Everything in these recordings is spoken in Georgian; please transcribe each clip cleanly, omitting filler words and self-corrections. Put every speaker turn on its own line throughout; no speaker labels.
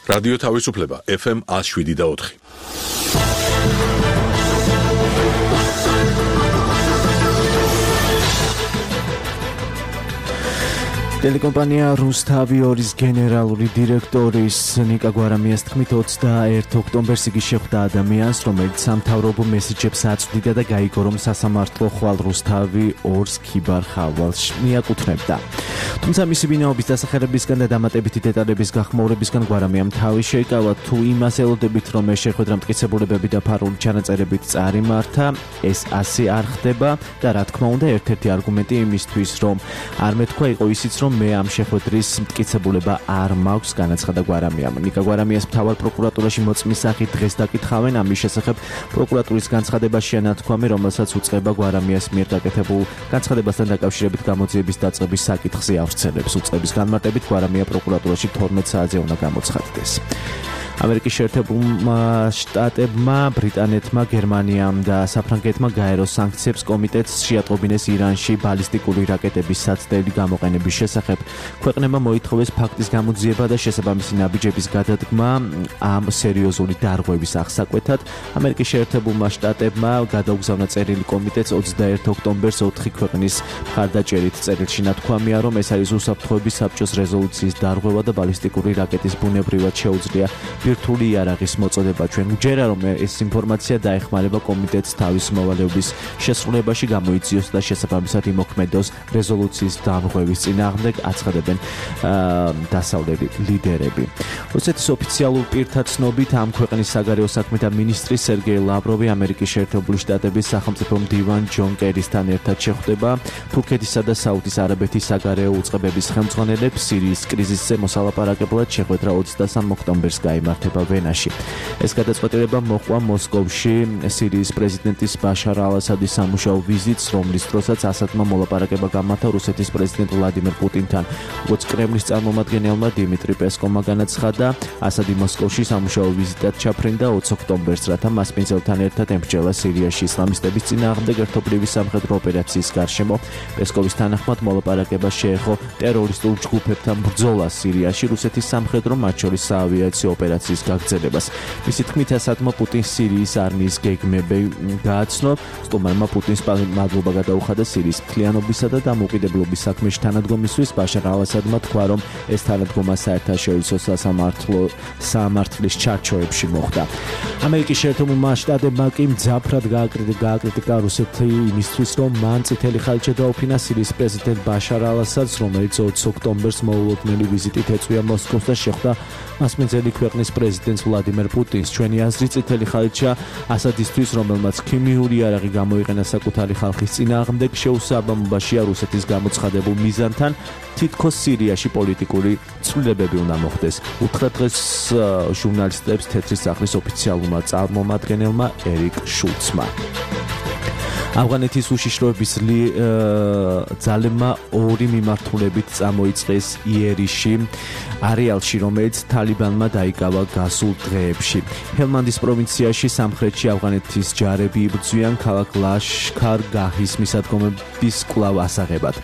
რადიო თავისუფლება FM 107.4.
ტელეკომპანია რუსთავი-2-ის გენერალური დირექტორის ნიკა გვარამიას თქმით 21 ოქტომბერს იგი შეხვდა ადამიანს, რომელიც სამთავრობო მესიჯებს აწვდიდა და გაიგო, რომ სასამართლო ხვალ რუსთავი-2-ს ქიბარ ხავალს მიაკუთვნებდა. თუმცა მისი ვინაობის დასახელებისგან და დამატებითი დეტალების გახმაურებისგან გვარამიამ თავი შეიკავა. თუ იმას ელოდებით, რომ ეს შეხვედრა მტკიცებულებები და ფარული ჩანაწერებით წარიმართა, ეს ასე არ ხდება და რა თქმა უნდა, ერთ-ერთი არგუმენტი იმისთვის, რომ არ მეთქვა იყო ისიც, რომ მე ამ შეხვედრის მტკიცებულება არ მაქვს, განაცხადა გვარამიამ. ნიკა გვარამიას მთავარ პროკურატურაში მოწმის სახით დღეს დაკითხავენ. ამის შესახებ პროკურატურის განცხადებაშია ნათქვამი, რომელსაც უწყება გვარამიას მიერ გაკეთებულ განცხადებასთან დაკავშირებით გამოძიების დაწყების საკითხზე ავრცელებს. უწყების განმარტებით გვარამია პროკურატურაში 12 საათზე უნდა გამოცხადდეს. ამერიკის შეერთებულმა შტატებმა, ბრიტანეთმა, გერმანიამ და საფრანგეთმა გაეროს სანქციებს კომიტეტს შეატყობინეს ირანში ბალისტიკური რაკეტების საცდელი გამოყენების შესახებ. ქვეყნებმა მოითხოვეს ფაქტის გამოძიება და შესაბამისი ნაბიჯების გადადგმა ამ სერიოზული დარღვევის აღსაკვეთად. ამერიკის შეერთებულმა შტატებმა გადაუგზავნა წერილი კომიტეტს 21 ოქტომბერს 4 ქვეყნის მხარდაჭერით. წერილში ნათქვამია, რომ ეს არის უსაფრთხოების საბჭოს რეზოლუციის დარღვევა და ბალისტიკური რაკეტის ბუნებრივად შეუძლია ბირთვული იარაღის მოწოდება. ჩვენ ვჯერა, რომ ეს ინფორმაცია დაეხმარება კომიტეტს თავის მოვალეობის შესრულებაში გამოიძიოს და შესაბამისად იმოქმედოს რეზოლუციის დარღვევის წინააღმდეგ, აცხადებენ დასავლელი ლიდერები. რუსეთის ოფიციალურ პირთა ცნობით ამ ქვეყნის საგარეო საქმეთა მინისტრი სერგეი ლავროვი ამერიკის შეერთებული შტატების სახელმწიფო მდივან ჯონ კერისთან ერთად შეხვდება. თურქეთისა და საუდის არაბეთის საგარეო უწყებების ხელმძღვანელებს სირიის კრიზისზე მოსალაპარაკებლად შეხვედრა 23 ოქტომბერს გაიმართება ვენაში. ეს გადაწყვეტილება მოჰყვა მოსკოვში სირიის პრეზიდენტის ბაშარ ალ-ასადის სამუშაო ვიზიტს, რომლის დროსაც ასადმა მოლაპარაკება გამართა რუსეთის პრეზიდენტ ვლადიმერ პუტინთან. როგორც კრემლის წარმომადგენელმა დიმიტრი პესკოვმა განაცხადა, ასადი მოსკოვში სამუშაო ვიზიტად ჩაფრინდა 20 ოქტომბერს, რათა მასპინძელთან ერთად ემსჯელა სირიაში ისლამისტების წინააღმდეგ ერთობლივი სამხედრო ოპერაციის გარშემო. პესკოვის თანახმად მოლაპარაკება შეეხო ტერორისტულ ჯგუფებთან ბრძოლას სირიაში, რუსეთის სამხედრო, მათ შორის საავიაციო ოპერაციის გაგრძელებას. მისი თქმით, ასადმა პუტინს სირიის არმიის გეგმები გააცნო. სტუმარმა პუტინს მადლობა გადაუხადა სირიის მთლიანობისა და დამოუკიდებლობის საქმეში თანადგომისთვის. ბაშარ ალ-ასადმა თქვა, რომ ეს თანადგომა საერთაშორისო სამართლის ჩარჩოებში მოხდა. ამერიკის შეერთებულმა შტატებმა კი მძაფრად გააკრიტიკა რუსეთი იმისთვის, რომ მან წითელი ხალით შედაუფინა სირიის პრეზიდენტ ბაშარ ალ-ასადს, რომელიც 20 ოქტომბერს მოულოდნელი ვიზიტით ეწვია მოსკოვს და შეხვდა მასპინძელი ქვეყნის პრეზიდენტს ვლადიმერ პუტინს. ჩვენი აზრით წითელი ხალითია ასადისთვის, რომელმაც ქიმიური იარაღი გამოიყენა საკუთარი ხალხის წინააღმდეგ, შეუსაბამობაშია რუსეთის გამოცხადებულ მიზანთან. თითქოს სირიაში პოლიტიკური ცვლილებები უნდა მოხდეს. უთხრა დღეს ჟურნალისტებს თეთრი სახლის ოფიციალურმა წარმომადგენელმა ერიკ შულცმა. ავღანეთის უშიშროების ძალებმა 2 მიმართულებით წამოიწყეს იერიში არეალში, რომელიც თალიბანმა დაიკავა გასულ დღეებში. ჰელმანდის პროვინციაში სამხრეთში ავღანეთის ჯარები იბრძვიან ქალაქ ლაშქარ-გაჰის მისადგომების კვლავ ასაღებად.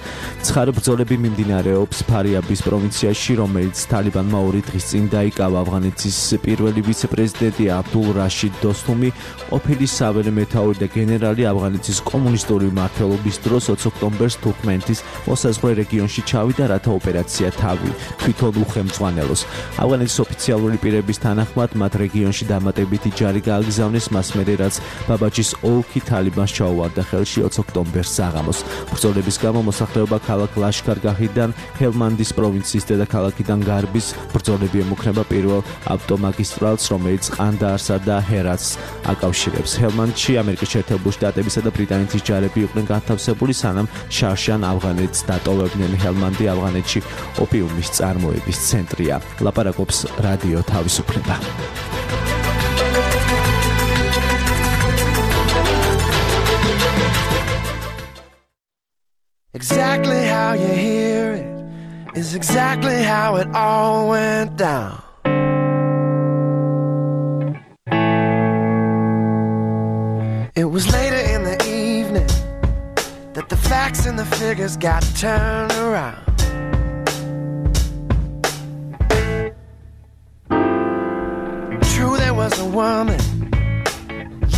ცხარე ბრძოლები მიმდინარეობს ფარიაბის პროვინციაში, რომელიც თალიბანმა 2 დღის წინ დაიკავა. ავღანეთის პირველი ვიცე-პრეზიდენტი აბდულ რაშიდ დოსთუმი, ყოფილი საველე მეთაური და გენერალი ავღანეთის კომუნისტური მმართველობის დროს 20 ოქტომბერს თურქმენეთის მოსაზღვრე რეგიონში ჩავიდა, რათა ოპერაცია თავი თვითონ უხელმძღვანელოს. ავღანეთის ოფიციალური პირების თანახმად მათ რეგიონში დამატებითი ჯარი გააგზავნეს მას მერე, რაც ბაბაჯის ოლქი თალიბანს ჩაუვარდა ხელში 20 ოქტომბერს საღამოს. ბრძოლების გამო მოსახლეობა ქალაქ ლაშქარ-გაჰიდან ჰელმანდის პროვინციის დედაქალაქიდან გარბის ბრძოლები ემუქრება პირველ ავტომაგისტრალს, რომელიც ყანდაარსა და ჰერათს აკავშირებს. ჰელმანდში ამერიკის შეერთებული შტატებისა და ბრიტანეთის ჯარები იყვნენ განთავსებული, სანამ შარშან ავღანეთს დატოვებდნენ. ჰელმანდი ავღანეთში ოპიუმის წარმოების ცენტრია. ლაპარაკობს რადიო თავისუფლება.
Exactly how you hear it is exactly how it all went down. It was later in the evening that the facts and the figures got turned around. a woman.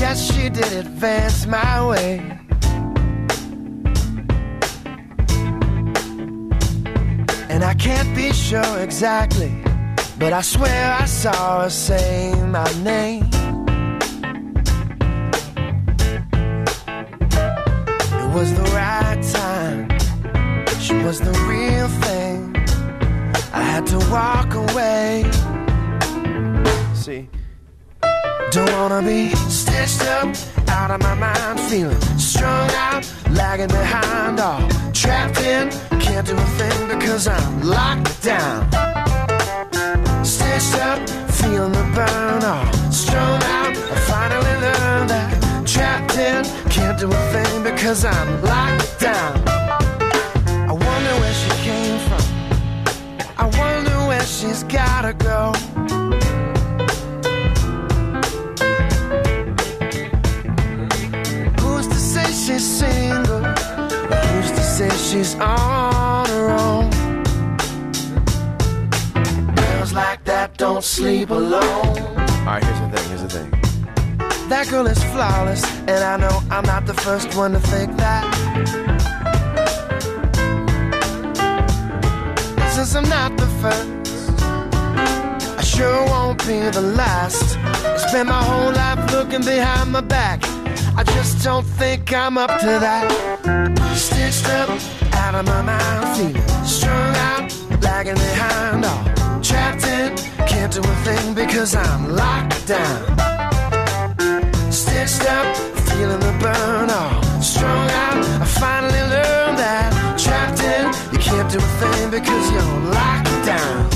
Yes, she did advance my way. And I can't be sure exactly, but I swear I saw her say my name. It was the right time. She was the real thing. I had to walk away. See, don't wanna be stitched up, out of my mind, feeling strung out, lagging behind, all trapped in. Can't do a thing because I'm locked down. Stitched up, feeling the burn, all strung out. I finally learned that trapped in. Can't do a thing because I'm locked down. I wonder where she came from. I wonder where she's gotta go. Who's to say she's single? Who's to say she's on her own? Girls like that don't sleep alone. Alright, here's the thing. That girl is flawless, and I know I'm not the first one to think that. Since I'm not the first, I sure won't be the last. I spent my whole life looking behind my back. I just don't think I'm up to that. Stitched up, out of my mind, feeling strung out, lagging behind, all trapped in. Can't do a thing because I'm locked down. Stitched up, feeling the burn, all strung out. I finally learned that trapped in. You can't do a thing because you're locked down.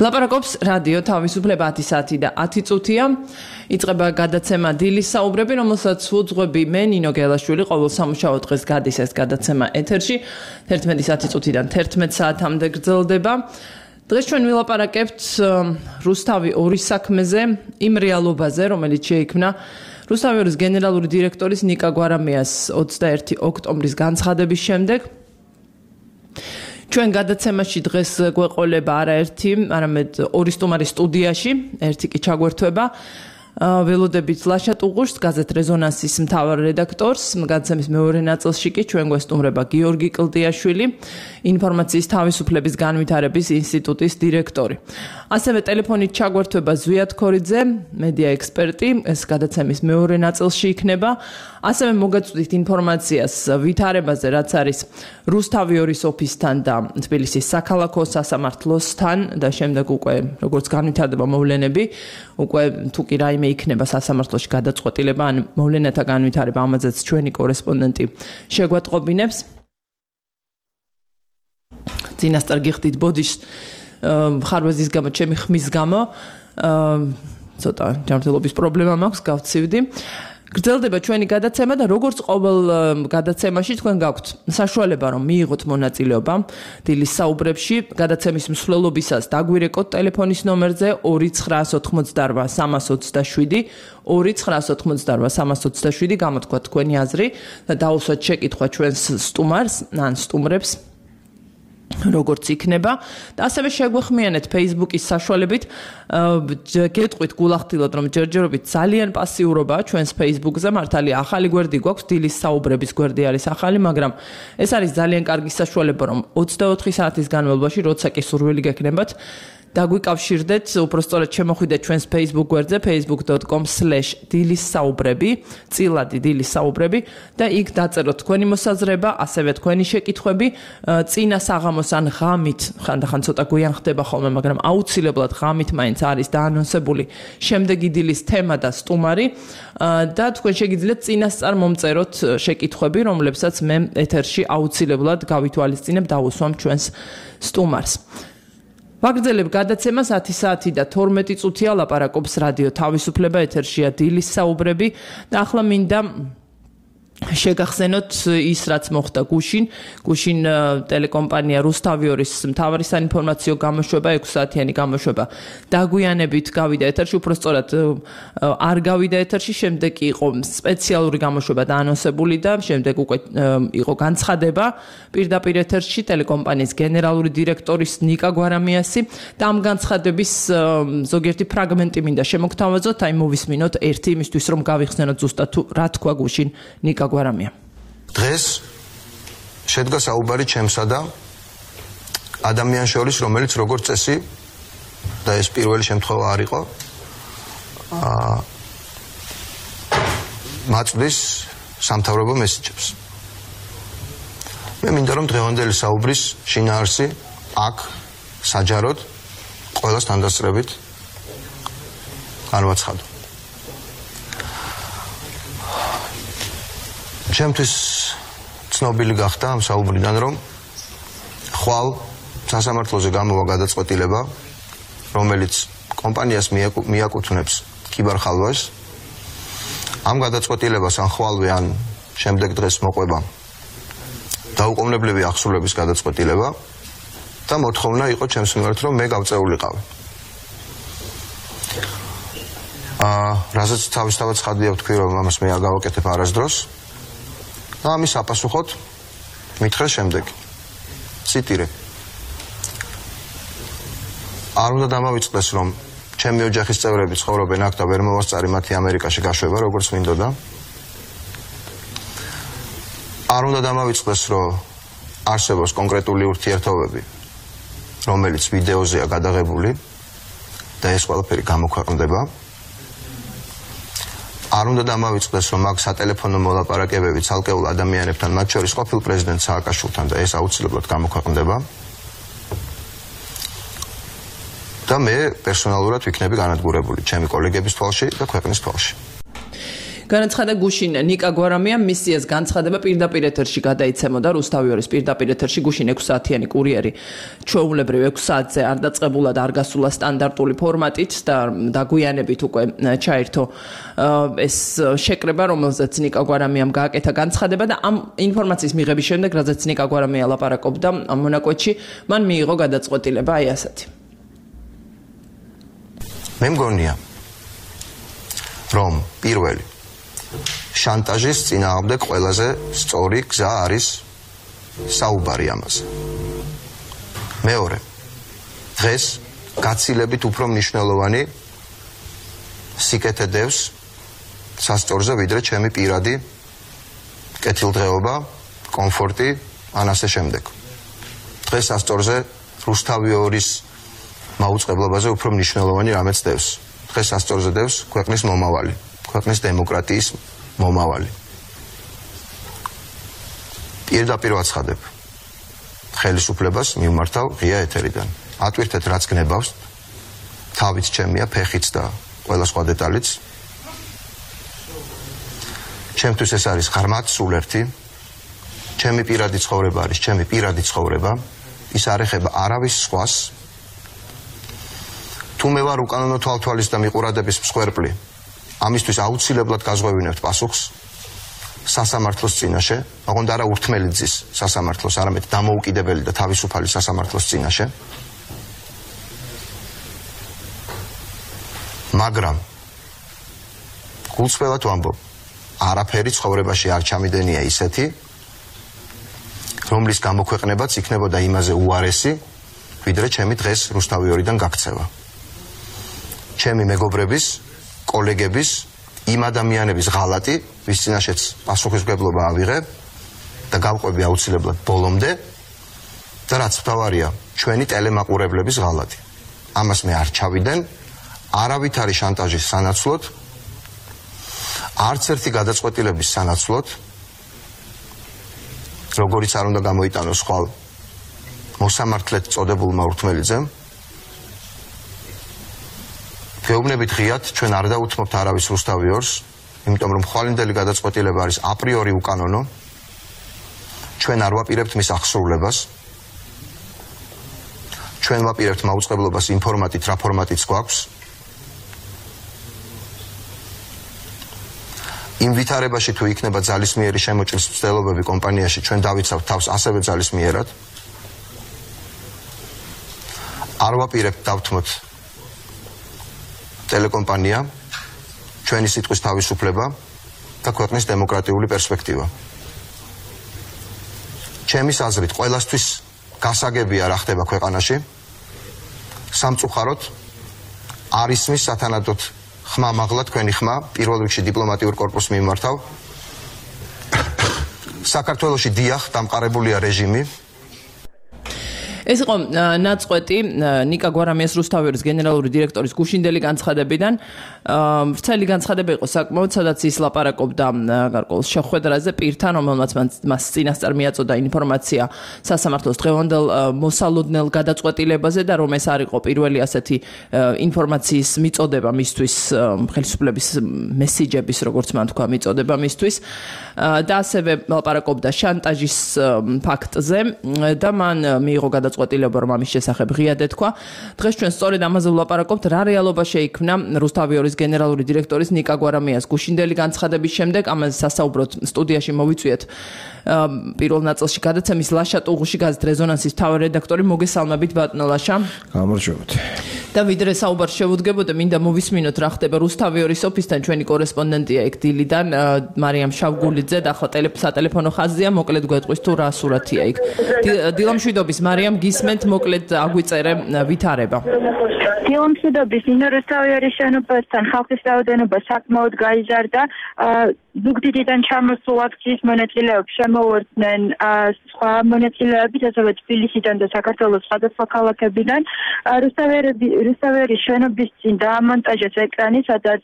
ლაპარაკობს რადიო თავისუფლება 10 საათი და 10 წუთია. იწყება გადაცემა დილის საუბრები, რომელსაც უძღვები მე ნინო გელაშვილი, ყოველ სამუშაო დღეს გადის ეს გადაცემა ეთერში 11 საათიდან 11 საათამდე გრძელდება. დღეს ჩვენ ვილაპარაკებთ რუსთავი 2 საქმეზე, იმ რეალობაზე, რომელიც შეიქმნა რუსთავი 2-ის გენერალური დირექტორის ნიკა გვარამიას 21 ოქტომბრის განცხადების შემდეგ. ჩვენ გადაცემაში დღეს გვეყოლება არაერთი, არამედ 2 სტუმარი სტუდიაში, ერთი კი ჩაგვერთვება. ველოდებით ლაშა ტუღუშს, გაზეთ რეზონანსის მთავარ რედაქტორს, გადაცემის მეორე ნაწილში კი ჩვენ გვესტუმრება გიორგი კლდიაშვილი, ინფორმაციის თავისუფლების განვითარების ინსტიტუტის დირექტორი. ასევე ტელეფონით ჩაგვერთვება ზვიად ქორიძე, მედია ექსპერტი, ეს გადაცემის მეორე ნაწილში იქნება. ასევე მოგაწვდით ინფორმაციას ვითარებაზე, რაც არის რუსთავი 2-ის ოფისთან და თბილისის საქალაქო სასამართლოსთან და შემდეგ უკვე როგორც განვითარდება მოვლენები, უკვე თუ კი რაიმე იქნება სასამართლოში გადაწყვეტილება ან მოვლენათა განვითარება, ამაზეც ჩვენი კორესპონდენტი შეგვატყობინებს. წინასწარ გიხდით ბოდიშს ხარვეზის გამო, ჩემი ხმის გამო, ცოტა ჯანმრთელობის პრობლემა მაქვს, გავცივდი. გრძელდება ჩვენი გადაცემა და როგორც ყოველ გადაცემაში თქვენ გაქვთ საშუალება რომ მიიღოთ მონაწილეობა დილის საუბრებში. გადაცემის მსვლელობისას დაგვირეკოთ ტელეფონის ნომერზე 2988327 2988327 გამოთქვათ თქვენი აზრი და დაუსვათ შეკითხვა ჩვენს სტუმარს ან სტუმრებს როგორც იქნება და ასევე შეგვეხმიანეთ Facebook-ის საშუალებით. გეტყვით გულახდილად რომ ჯერჯერობით ძალიან პასიურობაა ჩვენს Facebook-ზე, მართალია ახალი გვერდი გვაქვს, დილის საუბრების გვერდი არის ახალი, მაგრამ ეს არის ძალიან კარგი საშუალება რომ 24 საათის განმავლობაში, როცა კი სურვილი გექნებათ, დაგვიკავშირდეთ, უпростоრად შემოხვიდეთ ჩვენს Facebook გვერდზე facebook.com/დილისსაუბრები, წილადი დილისსაუბრები და იქ დაწეროთ თქვენი მოსაზრება, ასევე თქვენი შეკითხვები, წინა საღამოს ან ღამით, ხანდახან ცოტა გვიან ხდება ხოლმე, მაგრამ აუცილებლად ღამით მაინც არის დაანონსებული შემდეგი დილის თემა და სტუმარი და თქვენ შეგიძლიათ წინასწარ მომწეროთ შეკითხვები, რომლებსაც მე ეთერში აუცილებლად გავითვალისწინებ, დავუსვამ ჩვენს სტუმარს. ვაგრძელებ გადაცემას 10 საათი და 12 წუთია ლაპარაკობს რადიო თავისუფლება, ეთერშია დილის საუბრები და ახლა მინდა შეგახსენოთ ის რაც მოხდა გუშინ ტელეკომპანია რუსთავი 2-ის მთავარი საინფორმაციო გამოშვება 6 საათიანი გამოშვება დაგვიანებით გავიდა ეთერში, უпростоრად არ გავიდა ეთერში, შემდეგ იყო სპეციალური გამოშვება დაანონსებული და შემდეგ უკვე იყო განცხადება პირდაპირ ეთერში ტელეკომპანიის გენერალური დირექტორის ნიკა გვარამიასი და ამ განცხადების ზოგიერთი ფრაგმენტი მინდა შემოგთავაზოთ, აი მოვისმინოთ ერთი იმისთვის რომ გავიხსენოთ ზუსტად რა თქვა გუშინ ნიკა გვარამია.
დღეს შედგა საუბარი ჩემსა და ადამიანს შორის, რომელიც როგორც წესი და ეს პირველი შემთხვევა არ იყო, მაწვდის სამთავრობო მესიჯებს. მე მინდა რომ დღევანდელი საუბრის შინაარსი აქ საჯაროდ ყველას თანდასწრებით განვაცხადო. ჩემთვის ცნობილი გახდა ამ საუბრიდან, რომ ხვალ სასამართლოზე გამოვა გადაწყვეტილება, რომელიც კომპანიას მიაკუთვნებს კიბერხალვას. ამ გადაწყვეტილებას ან ხვალვე ან შემდეგ დღეს მოყვება დაუყოვნებლივი ახსულების გადაწყვეტილება და მოთხოვნა იყო ჩემს მიმართ, რომ მე გავწეულიყავი. რაზეც თავისთავად ცხადია ვთქვი, რომ ამას მე არ გავაკეთებ არასდროს. და ამის საპასუხოდ მითხრეს შემდეგი. ციტირე. არ უნდა დამავიწყდეს, რომ ჩემი ოჯახის წევრები ცხოვრობენ აქ და ვერ მოვასწარი მათი ამერიკაში გაშვება, როგორც მინდოდა. არ უნდა დამავიწყდეს, რომ არსებობს კონკრეტული ურთიერთობები, რომელიც ვიდეოზეა გადაღებული და ეს ყველაფერი გამოქვეყნდება. არ უნდა დამავიწყდეს, რომ აქ სატელეფონო მოლაპარაკებები ცალკეულ ადამიანებთან, მათ შორის ყოფილ პრეზიდენტ სააკაშვილთან და ეს აუცილებლად გამოქვეყნდება. და მე პერსონალურად ვიქნები განადგურებული ჩემი კოლეგების თვალში და ქვეყნის თვალში.
განაცხადა გუშინ ნიკა გვარამიამ მისიას განცხადება პირდაპირ ეთერში გადაიცემოდა რუსთავიორის პირდაპირ ეთერში გუშინ 6 საათიანი კურიერი ჩვეულებრივ 6 საათზე არ დაწყებულა და არ გასულა სტანდარტული ფორმატით და დაგვიანებით უკვე ჩაერთო ეს შეკრება რომელზეც ნიკა გვარამიამ გააკეთა განცხადება და ამ ინფორმაციის მიღების შემდეგ რაზეც ნიკა გვარამია ლაპარაკობდა მონაკვეთში მან მიიღო გადაწყვეტილება აი ასეთი
მე მგონია რომ პირველი შანტაჟის წინააღმდეგ ყველაზე სწორი გზა არის საუბარი ამაზე. მეორე დღეს გაცილებით უფრო მნიშვნელოვანი სიკეთე დევს სასწორზე ვიდრე ჩემი პირადი კეთილდღეობა, კომფორტი, ან ასე შემდეგ. დღეს სასწორზე რუსთავიორის მაუწყებლობაზე უფრო მნიშვნელოვანი რამეც დევს. დღეს სასწორზე დევს ქვეყნის მომავალი, ქვეყნის დემოკრატიის მომავალი. პირდაპირ ვაცხადებ ხელისუფლებას მივმართავ ღია ეთერიდან. ატვირთეთ რაც გნებავს, თავიც ჩემია, ფეხიც და ყველა სხვა დეტალიც. ჩემთვის ეს არის ღრმად სულ-ერთი. ჩემი პირადი ცხოვრება არის ჩემი პირადი ცხოვრება. ის არ ეხება არავის სხვას. თუ მე ვარ უკანონო თვალთვალის და მიყურადების მსხვერპლი, ამისთვის აუცილებლად გაზღვევინებთ პასუხს სასამართლოს წინაშე, ოღონდ არა ურთმელი ძის სასამართლოს, არამედ დამოუკიდებელი და თავისუფალი სასამართლოს წინაშე. მაგრამ გულწრფელად ვამბობ, არაფერი ცხოვრებაში არ ჩამიდენია ისეთი, რომლის გამოქვეყნებაც იქნებოდა იმაზე უარესი, ვიდრე ჩემი დღეს რუსთავიორიდან გაქცევა. ჩემი მეგობრების, კოლეგების, იმ ადამიანების ღალატი, ვის წინაშეც პასუხისმგებლობა ავიღე და გავყვები აუცილებლად ბოლომდე და რაც მთავარია, ჩვენი ტელემაყურებლების ღალატი. ამას მე არ ჩავიდენ, არავითარი შანტაჟის სანაცვლოდ, არც ერთი გადაწყვეტილების სანაცვლოდ, როგორიც არ უნდა გამოიტანოს ხვალ მოსამართლედ წოდებულმა ურთმელიძემ. გეუბნებით ღიად, ჩვენ არ დაუთმობთ არავის რუსთავიორს, იმიტომ რომ ხვალინდელი გადაწყვეტილება არის აპრიორი უკანონო. ჩვენ არ ვაპირებთ მის აღსრულებას. ჩვენ ვაპირებთ მაუწყებლობას იმ ფორმატით, რა ფორმატიც გვაქვს. იმ ვითარებაში თუ იქნება ძალისმიერი შემოჭრის მცდელობები კომპანიაში, ჩვენ დავიცავთ თავს ასევე ძალისმიერად. არ ვაპირებთ დავთმოთ ტელეკომპანია, ჩვენი სიტყვის თავისუფლება და ქვეყნის დემოკრატიული პერსპექტივა. ჩემის აზრით, ყველასთვის გასაგებია რა ხდება ქვეყანაში. სამწუხაროდ არ ისმის სათანადოდ ხმა მაღლა თქვენი ხმა, პირველ რიგში დიპლომატიურ კორპუსს მიმართავ. საქართველოში დიახ, დამყარებულია რეჟიმი.
ეს იყო ნაწყვეტი ნიკა გვარამიას რუსთავიორის გენერალური დირექტორის გუშინდელი განცხადებიდან. ვრცელი განცხადება იყო საკმაოდ, სადაც ის ლაპარაკობდა გარკვეულ შეხვედრაზე პირთან, რომელმაც მას წინასწარ მიაწოდა ინფორმაცია სასამართლოს დღევანდელ მოსალოდნელ გადაწყვეტილებაზე და რომ ეს არ იყო პირველი ასეთი ინფორმაციის მიწოდება მისთვის, ხელისუფლების მესიჯების, როგორც მან თქვა, მიწოდება მისთვის და ასევე ლაპარაკობდა შანტაჟის ფაქტზე და მან მიიღო გადაწყვეტილება, რომ ამის შესახებ ღიად ეთქვა. დღეს ჩვენ სწორედ ამაზე ვლაპარაკობთ, რა რეალობა შეიქმნა რუსთავიორის გენერალური დირექტორის ნიკა გვარამიას გუშინდელი განცხადების შემდეგ. ამაზე სასაუბროთ სტუდიაში მოვიწვიეთ პირველ ნაწილში გადაცემის ლაშა ტუღუში გაზეთ რეზონანსის მთავარი რედაქტორი. მოგესალმებით ბატონო ლაშა.
გამარჯობთ.
და ვიდრე საუბარს შევუდგებოდე, მინდა მოვისმინოთ რა ხდება რუსთავიორის ოფისთან. ჩვენი კორესპონდენტია ეგ დილიდან მარიამ შავგულიძე და ახლა სატელეფონო ხაზია, მოკლედ გვეტყვის თუ რა სურათია იქ. დილამშვიდობის მარიამ, გისმენთ, მოკლედ აგვიწერე ვითარება.
დილამშვიდობის, რუსთავიორის შენობასთან ხალხის რაოდენობა საკმაოდ გაიზარდა.
ზუგდიდიდან ჩამოსულ აქციის მონაწილეებს შემოუერთდნენ სხვა მონაწილეები, ასევე თბილისიდან და საქართველოს სხვადასხვა ქალაქებიდან. რუსთავერის შენობის წინ დაამონტაჟეს ეკრანი, სადაც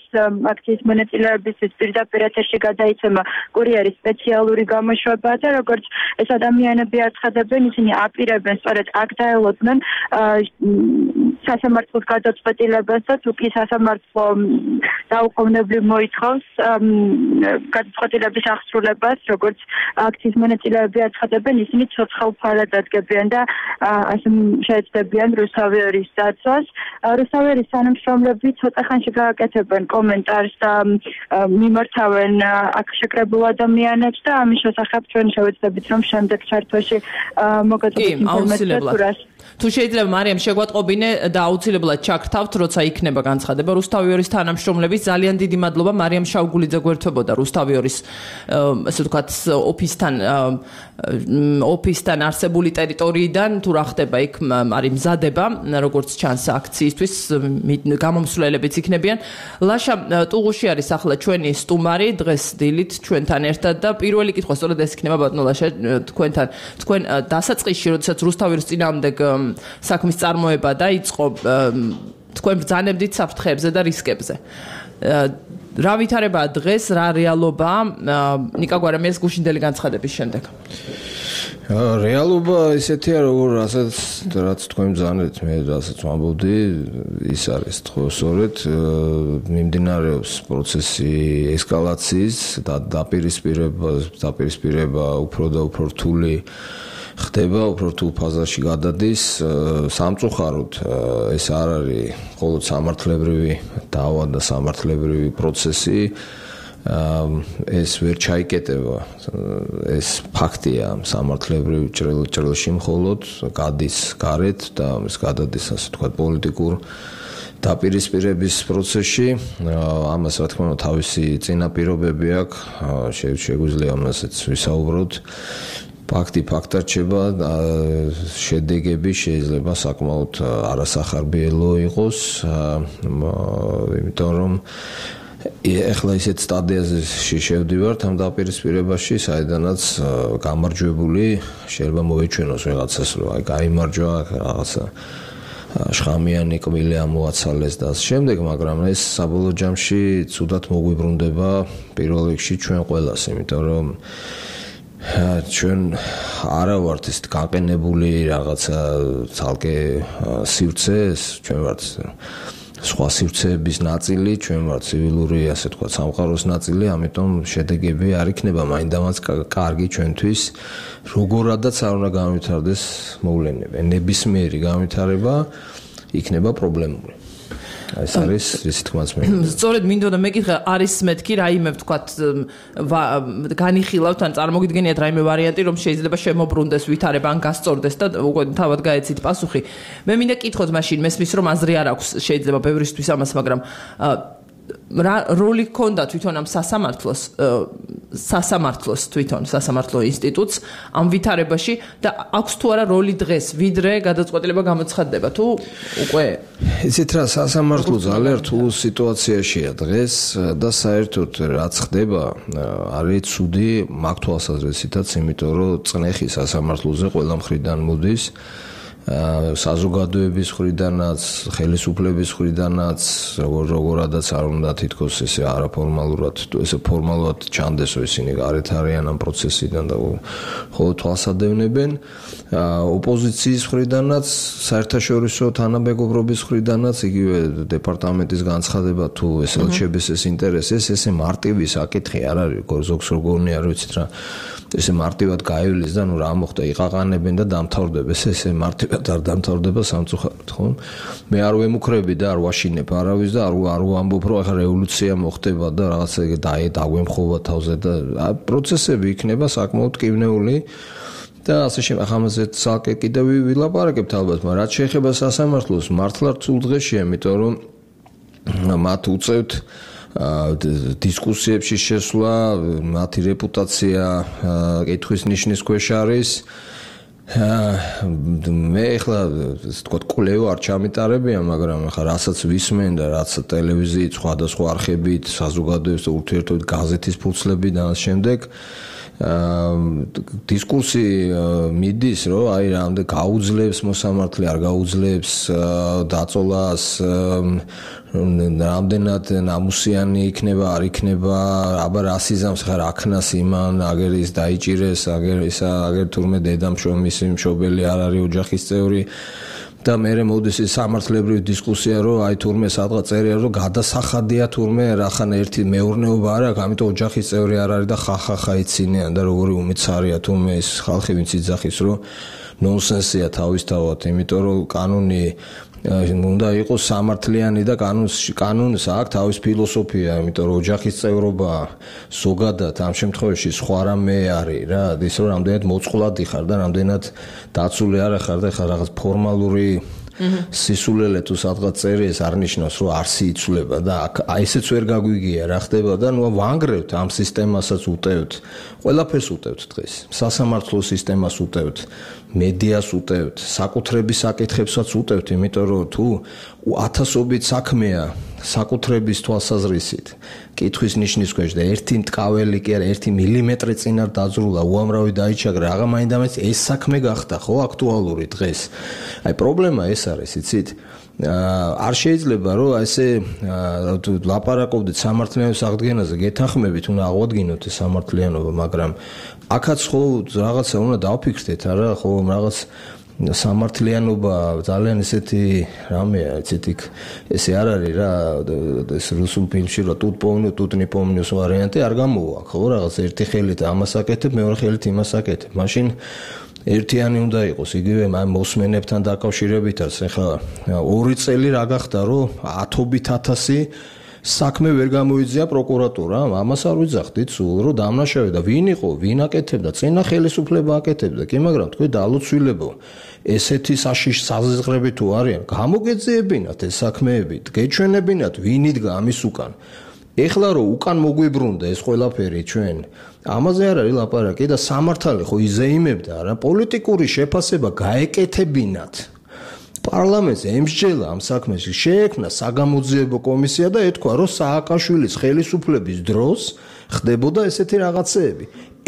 აქციის მონაწილეებისთვის პირდაპირ ეთერში გადაიცემა კურიერის სპეციალური გამოშვება და როგორც ეს ადამიანები აცხადებენ, ისინი აპირებენ სწორედ აქ დაელოდნენ სასამართლოს გადაწყვეტილებას და თუ კი სასამართლო დაუყოვნებლივ მოითხოვს გადაწყვეტილების აღსრულებას, როგორც აქციის მონაწილეები აცხადებენ, ისინი ცოცხალ ფარად დადგებიან და ასე შეეცდებიან რუსთავერის დაცვას. რუსთავერის თანამშრომლები ცოტა ხანში გააკეთებენ კომენტარს და მიმართავენ აქ შეკრებულ ადამიანებს და ამის შესახებ ჩვენ შევეცდებით, რომ შემდეგ ჩართვაში მოგაწოდოთ ინფორმაციას.
თუ შეიძლება მარიამ შეგვატყობინე და აუცილებლად ჩაგრთავთ, როცა იქნება განცხადება რუსთავერის თანამშრომლების. ძალიან დიდი მადლობა მარიამ შავგულიძე გვერდებოდა რუსთავერის ასე ვთქვათ ოფისთან არსებული ტერიტორიიდან, თუ რა ხდება იქ არის მზადება, როგორც ჩანს აქციისთვის გამომსვლელებიც იქნებიან. ლაშა ტუღუში არის ახლა ჩვენი სტუმარი დღეს დილით ჩვენთან ერთად და პირველი კითხვა სწორედ ეს იქნება ბატონო ლაშა თქვენთან. თქვენ დასაწყისში როდესაც რუსთავერის წინააღმდეგ საქმის წარმოება დაიწყო, თქვენ ბრძანებდით საფრთხეებზე და რისკებზე. რა ვითარებაა დღეს, რა რეალობაა ნიკა გვარამიას გუშინდელი განცხადების შემდეგ?
რეალობა ისეთია, რაც თქვენ ბრძანეთ, მე რასაც ვამბობდი, ის არის სწორედ მიმდინარეობს პროცესი ესკალაციის და დაპირისპირება უფრო და უფრო რთული ხდება, უფრო რთულ ფაზაში გადადის. სამწუხაროდ ეს არ არის მხოლოდ სამართლებრივი დავა და სამართლებრივი პროცესი. ეს ვერ ჩაიკეტება, ეს ფაქტია სამართლებრივ ჭრილში მხოლოდ გადის გარეთ და ეს გადადის ასე ვთქვათ პოლიტიკურ დაპირისპირების პროცესში. ამას რა თქმა უნდა თავისი წინაპირობები აქვს, შეგვიძლია ამასაც ვისაუბროთ. ფაქტი ფაქტად რჩება, შედეგები შეიძლება საკმაოდ არასახარბიელო იყოს, იმიტომ რომ ეხლა ისეთ სტადიაზე შევდივართ ამ დაპირისპირებაში, საიდანაც გამარჯვებული შეიძლება მოეჩვენოს რაღაცას, რომ აი გაიმარჯვა რაღაცა შხამიანი კბილი ამოაცალეს და ამ შემდეგ, მაგრამ ეს საბოლოო ჯამში ცუდად მოგვიბრუნდება პირველ რიგში ჩვენ ყველას, იმიტომ რომ ჩვენ არა ვართ ეს გაყენებული რაღაცა ცალკე სივრცეს, ჩვენ ვართ სხვა სივრცეების ნაწილი, ჩვენ ვართ ცივილური, ასე თქვა, სამყაროს ნაწილი, ამიტომ შედეგები არ იქნება მაინდამაც კარგი ჩვენთვის, როგორადაც არ უნდა განვითარდეს მოვლენები. ნებისმიერი განვითარება იქნება პრობლემური. ეს არის ისე თქმაც მე.
სწორედ მინდოდა მეკითხა, არის მეთქი რაიმე ვთქვათ განიხილავთ ან წარმოგიდგენიათ რაიმე ვარიანტი, რომ შეიძლება შემოbrunდეს ვითარება ან გასწორდეს და უკვე თავად გაეცით პასუხი. მე მინდა კითხოთ მაშინ, მესმის რომ აზრი არ აქვს შეიძლება ბევრისთვის ამას, მაგრამ რა როლი ჰქონდა თვითონ ამ სასამართლოს თვითონ სასამართლო ინსტიტუტს ამ ვითარებაში და აქვს თუ არა როლი დღეს, ვიდრე გადაწყვეტილება გამოცხადდება თუ უკვე
იცით რა, სასამართლო ძალიან რთულ სიტუაციაშია დღეს და საერთოდ რაც ხდება არის ცუდი მაგ თვალსაზრისითაც, იმიტომ რომ წნეხი სასამართლოზე ყველა მხრიდან მოდის, საზოგადოების მხრიდანაც, ხელისუფლების მხრიდანაც, როგორადაც არ უნდა თითქოს ესე არაფორმალურად, ესე ფორმალურად ჩანდესო ისინი გარეთ არიან ამ პროცესიდან და ხოლო თვალსადევნებენ. ოპოზიციის მხრიდანაც, საერთაშორისო თანამეგობრობის მხრიდანაც, იგივე დეპარტამენტის განცხადება თუ ეს ელჩებესეს ინტერესებს, ესე მარტივი საკითხი არ არის, ზოგს როგორი არ ვიცით რა. ესე მარტივად გაივლის და ნუ რა მოხდა, იყაყანებენ და დამთავრდება, ესე მარტივად არ დამთავრდება სამწუხაროდ, ხო? მე არ ვემუქრები და არ ვაშინებ არავის და არ ვამბობ, რომ ახლა რევოლუცია მოხდება და რაღაცა დაგვემხობა თავზე და პროცესები იქნება საკმაოდ კივნეული და ასე ამაზე ცალკე კიდევ ვილაპარაკებთ ალბათ, მაგრამ რაც შეეხება სასამართლოს, მართლა რთულ დღეშია, იმიტომ რომ მათ უწევთ დისკუსიებში შესვლა, მათი რეპუტაცია კითხვის ნიშნის ქვეშ არის მე ახლა თქვა კვლევა არ ჩამიტარებია, მაგრამ ახლა რასაც ვისმენ და რაც ტელევიზიით, სხვადასხვა არხებით, საზოგადოების ურთიერთობით, გაზეთის ფურცლები და ამ შემდეგ დისკურსი მიდის, რომ აი რამდენ გაუძლებს მოსამართლე, არ გაუძლებს დაწოლას, რამდენად ნამუსიანი იქნება, არ იქნება, აბა რა სიზამს ხარ აქნას იმან, აგერ ის დაიჭირეს, აგერ თურმე დედამშობლის მშობელი არ არის ოჯახის წევრი და მე მოდის ის სამართლებრივი დისკუსია, რომ აი თურმე სადღაც წერია, რომ გადასახადია თურმე რახან ერთი მეურნეობა არ აქვს, ამიტომ ოჯახის წევრი არ არის და ხახახა იცინიან და როგორი უმეცარია თურმე ეს ხალხი ვინც იძახის, რომ ნონსენსია თავისთავად, იმიტომ რომ კანონი უნდა იყოს სამართლიანი და კანონს აქვს თავის ფილოსოფია, იმიტომ რომ ოჯახის წევრობა ზოგადად ამ შემთხვევაში სხვა რამე არის რა, ის რომ რამდენად მოწყვლადი ხარ და რამდენად დაცული არ ხარ და ხა რაღაც ფორმალური სისულელე თუ სადღაც წერი ეს არ ნიშნავს რომ არსი იცვლება და აი ესეც ვერ გაგვიგია რა ხდება და ნუ ვანგრევთ ამ სისტემასაც უტევთ ყველაფერს უტევთ დღეს სასამართლო სისტემას უტევთ მედიას უტევთ საკუთრების საკითხებსაც უტევთ იმიტომ რომ თუ ათასობით საქმეა საკუთრების თვალსაზრისით კითხვის ნიშნის ქვეშ და ერთი მტკაველი კი არა 1 მილიმეტრი წინარ დაძრულა უამრავი დაიჩაგრა აღა მაინდამაინც ეს საქმე გახდა ხო აქტუალური დღეს აი პრობლემა ეს არის იცით არ შეიძლება რომ ესე ლაპარაკობდეთ სამართლიანობის აღდგენაზე გეთანხმებით უნდა აღვადგინოთ ეს სამართლიანობა მაგრამ აქაც ხო რაღაცა უნდა დავფიქრდეთ არა ხო რაღაც სამართლიანობა ძალიან ესეთი რამეა იცით იქ ესე არ არის რა ეს რუსულ ფილმში რა тут не помню ვარიანტი არ გამოვა ხო რაღაც ერთი ხელით ამას აკეთებ მეორე ხელით იმას აკეთებ მაშინ ერთიანი უნდა იყოს იგივე მოსმენებთან დაკავშირებითაც ეხლა 2 წელი რა გახდა რომ 10,000 საქმე ვერ გამოიძია პროკურატურამ ამას არ ვიძახდით სულ რომ დამნაშავე და ვინ იყო ვინ აკეთებდა წინა ხელისუფლება აკეთებდა კი მაგრამ თქვი დალოცვილებო ესეთი საშიშ საზღრები თუ არიან გამოგეძიებინათ ეს საქმეები გეჩვენებინათ ვინ იდგა ამის უკან ეხლა რომ უკან მოგვიბრუნდა ეს ყველაფერი ჩვენ ამაზე არ არის ლაპარაკი და სამართალი ხო იზეიმებდა რა პოლიტიკური შეფასება გაეკეთებინათ პარლამენტს ემსჯელა ამ საქმეში შეექმნა საგამოძიებო კომისია და ეთქვა რომ სააკაშვილის ხელისუფლების დროს ხდებოდა ესეთი რაღაცეები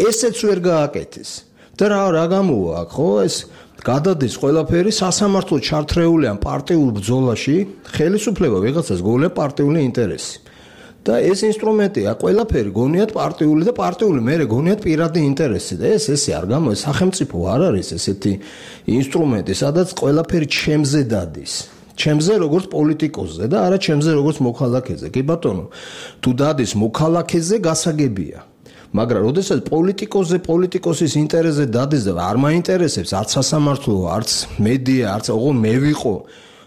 ესეც ვერ გააკეთეს და რა გამოვა ხო ეს გადადის ყველაფერი სასამართლო ჩართრეული ამ პარტიულ ბრძოლაში ხელისუფლება ვიღაცას გოვლება პარტიული ინტერესი და ეს ინსტრუმენტია ყველაფერი გონიათ პარტიული და პარტიული მერე გონიათ პირადი ინტერესი და ესე არ გამოდის სახელმწიფო არ არის ესეთი ინსტრუმენტი სადაც ყველაფერი ჩემზე დადის ჩემზე როგორც პოლიტიკოსზე და არა ჩემზე როგორც მოქალაქეზე კი ბატონო თუ დადის მოქალაქეზე გასაგებია მაგრამ როდესაც პოლიტიკოსის ინტერესზე დადის და არ მაინტერესებს არც სასამართლო არც მედია არც ოღონ მე ვიყო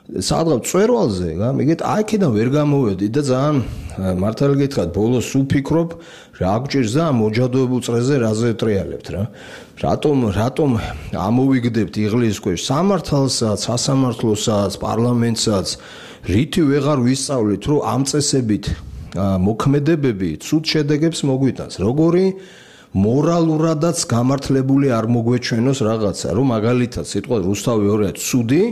სადღაც წვერვალზე მიგეთ აქედან ვერ გამოვედი და ძალიან მართალი გითხრათ ბოლოს ვფიქრობ რა გჭირს და მოჯადოებულ წრეზე რაზე ტრიალებთ რა რატომ ამოვიგდებთ იღლის ქვეშ სამართალსაც სასამართლოსაც პარლამენტსაც რითი ვეღარ ვისწავლით რომ ამ წესებით მოქმედებები ცუდ შედეგებს მოგვიტანს როგორი მორალურადაც გამართლებული არ მოგვეჩვენოს რაღაცა რომ მაგალითად სიტყვა რუსთავი 2 ცუდი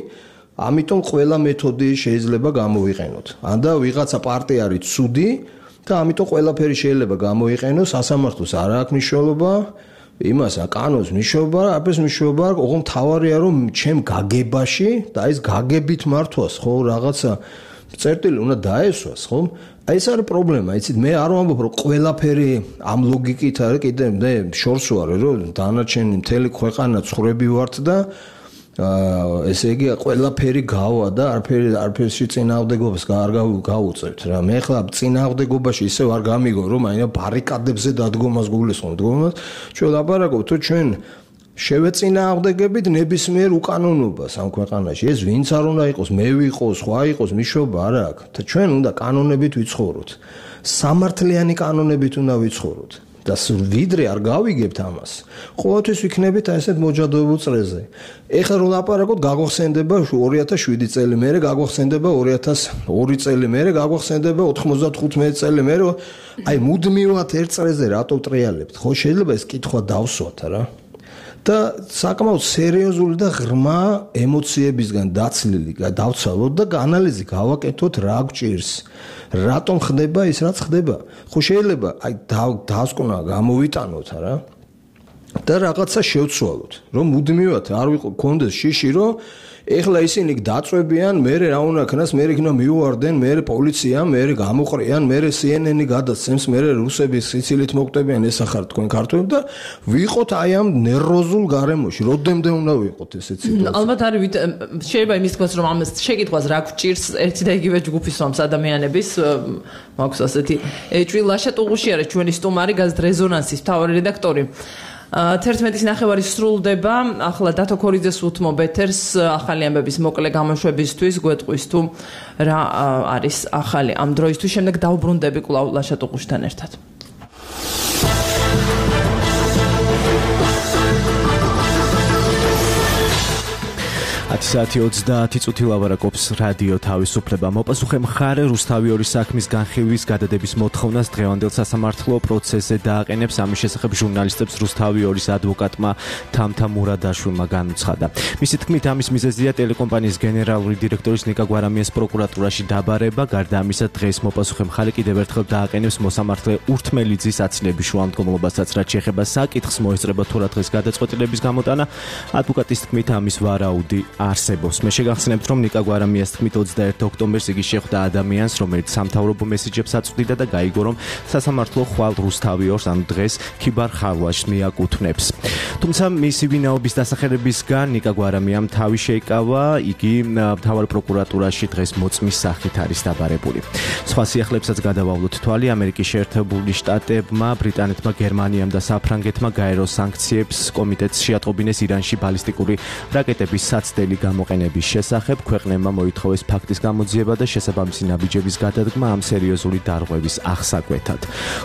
ამიტომ ყველა მეთოდი შეიძლება გამოვიყენოთ. ანდა ვიღაცა პარტია არის ცუდი და ამიტომ ყველაფერი შეიძლება გამოიყენოს, სასამართლოს არ აქვს მნიშვნელობა, იმას კანონს მნიშვნელობა, აფერს მნიშვნელობა, ოღონდ თავარია რომ ჩემ გაგებაში და ეს გაგებით მართვას, ხო, რაღაცა წერტილი უნდა დაესვას, ხო? აი ეს არის პრობლემა, იცით, მე არ ვამბობ რომ ყველაფერი ამ ლოგიკით არის, კიდე მე შორს ვარ, რომ დანარჩენი მთელი ქვეყანა ცხრები ვართ და ესე იგი ყველაფერი გავა და არაფერში წინააღმდეგობას არ გავუწევთ რა მე ხლა წინააღმდეგობაში ისევ არ გამიგო რომ აი ბარიკადებზე დადგომას გულისხმობ დგომას ჩვენ ლაპარაკობთ თუ ჩვენ შევეწინააღმდეგებით ნებისმიერ უკანონობას ამ ქვეყანაში ეს ვინც არ უნდა იყოს მე ვიყოს სხვა იყოს მიშობა არ აქვს და ჩვენ უნდა კანონებით ვიცხოვროთ სამართლიანი კანონებით უნდა ვიცხოვროთ და ვიდრე არ გავიგებთ ამას. ყოველთვის ვიქნებით ესეთ მოჯადოებულ წრეზე. ეხლა რომ ლაპარაკობთ, გაგვახსენდება 2007 წელი, მერე გაგვახსენდება 2002 წელი, მერე გაგვახსენდება 95 წელი, მერე აი მუდმივად ერთ წრეზე რატო ტრიალებთ? ხო შეიძლება ეს კითხვა დავსვათ რა. და საკმაოდ სერიოზული და ღრმა ემოციებისგან დაცლილი დავცალოთ და ანალიზი გავაკეთოთ რა გვჭირს რატომ ხდება ის რაც ხდება ხო შეიძლება აი დასკვნა გამოვიტანოთ არა და რაღაცა შევცვალოთ რომ მუდმივად არ გქონდეს შიში რომ ეხლა ისინი დაწვევიან მე რა უნდა ქნას მე იქნა მიუვარდნენ მე პოლიცია მე გამოყრიან მე CNN-ი გადაცემს მე რუსების სიცილით მოკვდებიან ეს ახარ თქვენ ქართველ და ვიყოთ აი ამ ნერვოზულ გარემოში როდემდე უნდა ვიყოთ ესეც სიტუაცია
ალბათ არის შეიძლება იმის თქოს რომ ამას შეკითხვას რა გვჭირს ერთი და იგივე ჯგუფის მომს ადამიანების მაქვს ასეთი ეჭვი ლაშა ტუღუში არის ჩვენი სტუმარი გაზეთ რეზონანსის მთავარი რედაქტორი 11:09 სრულდება ახლა დათო ქორიძეს უთმობ ეთერს ახალი ამბების მოკლე გამოშვებისთვის გვეტყვის თუ რა არის ახალი ამ დროისთვის შემდეგ დავბრუნდები კვლავ ლაშა ტუღუშთან ერთად
10:30 წუთი ლაპარაკობს რადიო თავისუფლება. მოპასუხე მხარე რუსთავიორის საქმის განხილვის გადადების მოთხოვნას დღევანდელ სასამართლო პროცესზე დააყენებს. ამის შესახებ ჟურნალისტებს რუსთავიორის ადვოკატმა თამთა მურადაშვილმა განუცხადა. მისი თქმით, ამის მიზეზია ტელეკომპანიის გენერალური დირექტორის ნიკა გვარამიას პროკურატურაში დაბარება. გარდა ამისა, დღეს მოპასუხე მხარე კიდევ ერთხელ დააყენებს მოსამართლე ურთმელიძის აცილების შუამდგომლობასაც, რაც შეეხება საკითხს მოესწრება თუ რა დღეს გადაწყვეტილების გამოტანა. ადვოკატის თქმით, ამის ვარაუდი არსებობს. მე შეგახსენებთ, რომ ნიკა გვარამიას თქმით 21 ოქტომბერს იგი შეხვდა ადამიანს, რომელიც სამთავრობო მესიჯებს აწვდიდა და გაიგო, რომ სასამართლო ხვალ რუსთავიორს ამ დღეს ქიბარ ხარვაშს მიაკუთვნებს. თუმცა მისი ვინაობის დასახელებისგან ნიკა გვარამიამ თავი შეიკავა, იგი მთავარ პროკურატურაში დღეს მოწმის სახით არის დაბარებული. სხვა სიახლებსაც გადავავლოთ თვალი. ამერიკის შეერთებული შტატებმა, ბრიტანეთმა, გერმანიამ და საფრანგეთმა გაერო სანქციებს კომიტეტს შეატყობინეს ირანში ბალისტიკური რაკეტების საცდელი გამოყენების შესახებ. ქვეყნებმა მოითხოვეს ფაქტის გამოძიება და შესაბამისი ნაბიჯების გადადგმა ამ სერიოზული დარღვევის აღსაკვეთად.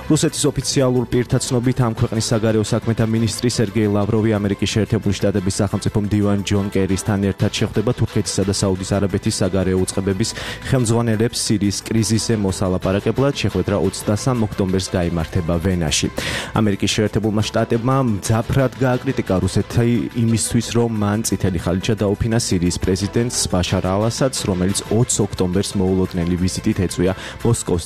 რუსეთის ოფიციალურ პირთა ცნობით ამ ქვეყნის საგარეო საქმეთა მინისტრი სერგეი ლავროვი ამერიკის შეერთებული შტატების სახელმწიფო მდივან ჯონ კერისთან ერთად შეხვდება თურქეთისა და საუდის არაბეთის საგარეო უწყებების ხელმძღვანელებს სირიის კრიზისზე მოსალაპარაკებლად. შეხვედრა 23 ოქტომბერს გაიმართება ვენაში. ამერიკის შეერთებულმა შტატებმა მძაფრად გააკრიტიკა რუსეთი იმისთვის, რომ მან წითელი ხალიჩა დაუფინა სირიის პრეზიდენტს ბაშარ ალ-ასადს, რომელიც 20 ოქტომბერს მოულოდნელი ვიზიტით ეწვია მოსკოვს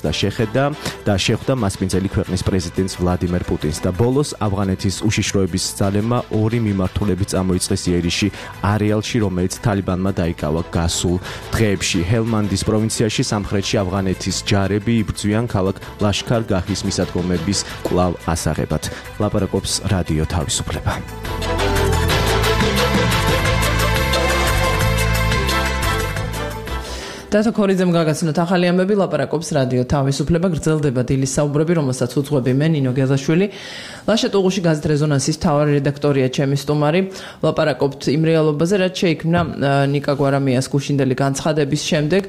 და შეხვდა მასპინძელი ქვეყნის პრეზიდენტს ვლადიმერ პუტინს და ბოლოს ავღანეთის უშიშროების ძალებმა ორი მიმართულები წამოიწყეს იერიში არეალში, რომელიც თალიბანმა დაიკავა გასულ დღეებში. ჰელმანდის პროვინციაში სამხრეთში ავღანეთის ჯარები იბრძვიან ქალაქ ლაშქარ-გაჰის მისადგომების კვლავ ასაღებად. ლაპარაკობს რადიო თავისუფლება.
დათო ქორიძემ გაგაცნოთ ახალი ამბები, ლაპარაკობს რადიო თავისუფლება. გრძელდება დილის საუბრები, რომელსაც უძღვები მე ნინო გეზაშვილი. ლაშა ტუღუში გაზეთ რეზონანსის მთავარი რედაქტორია ჩემი სტუმარი. ლაპარაკობთ იმ რეალობაზე, რაც შეიქმნა ნიკა გვარამიას გუშინდელი განცხადების შემდეგ.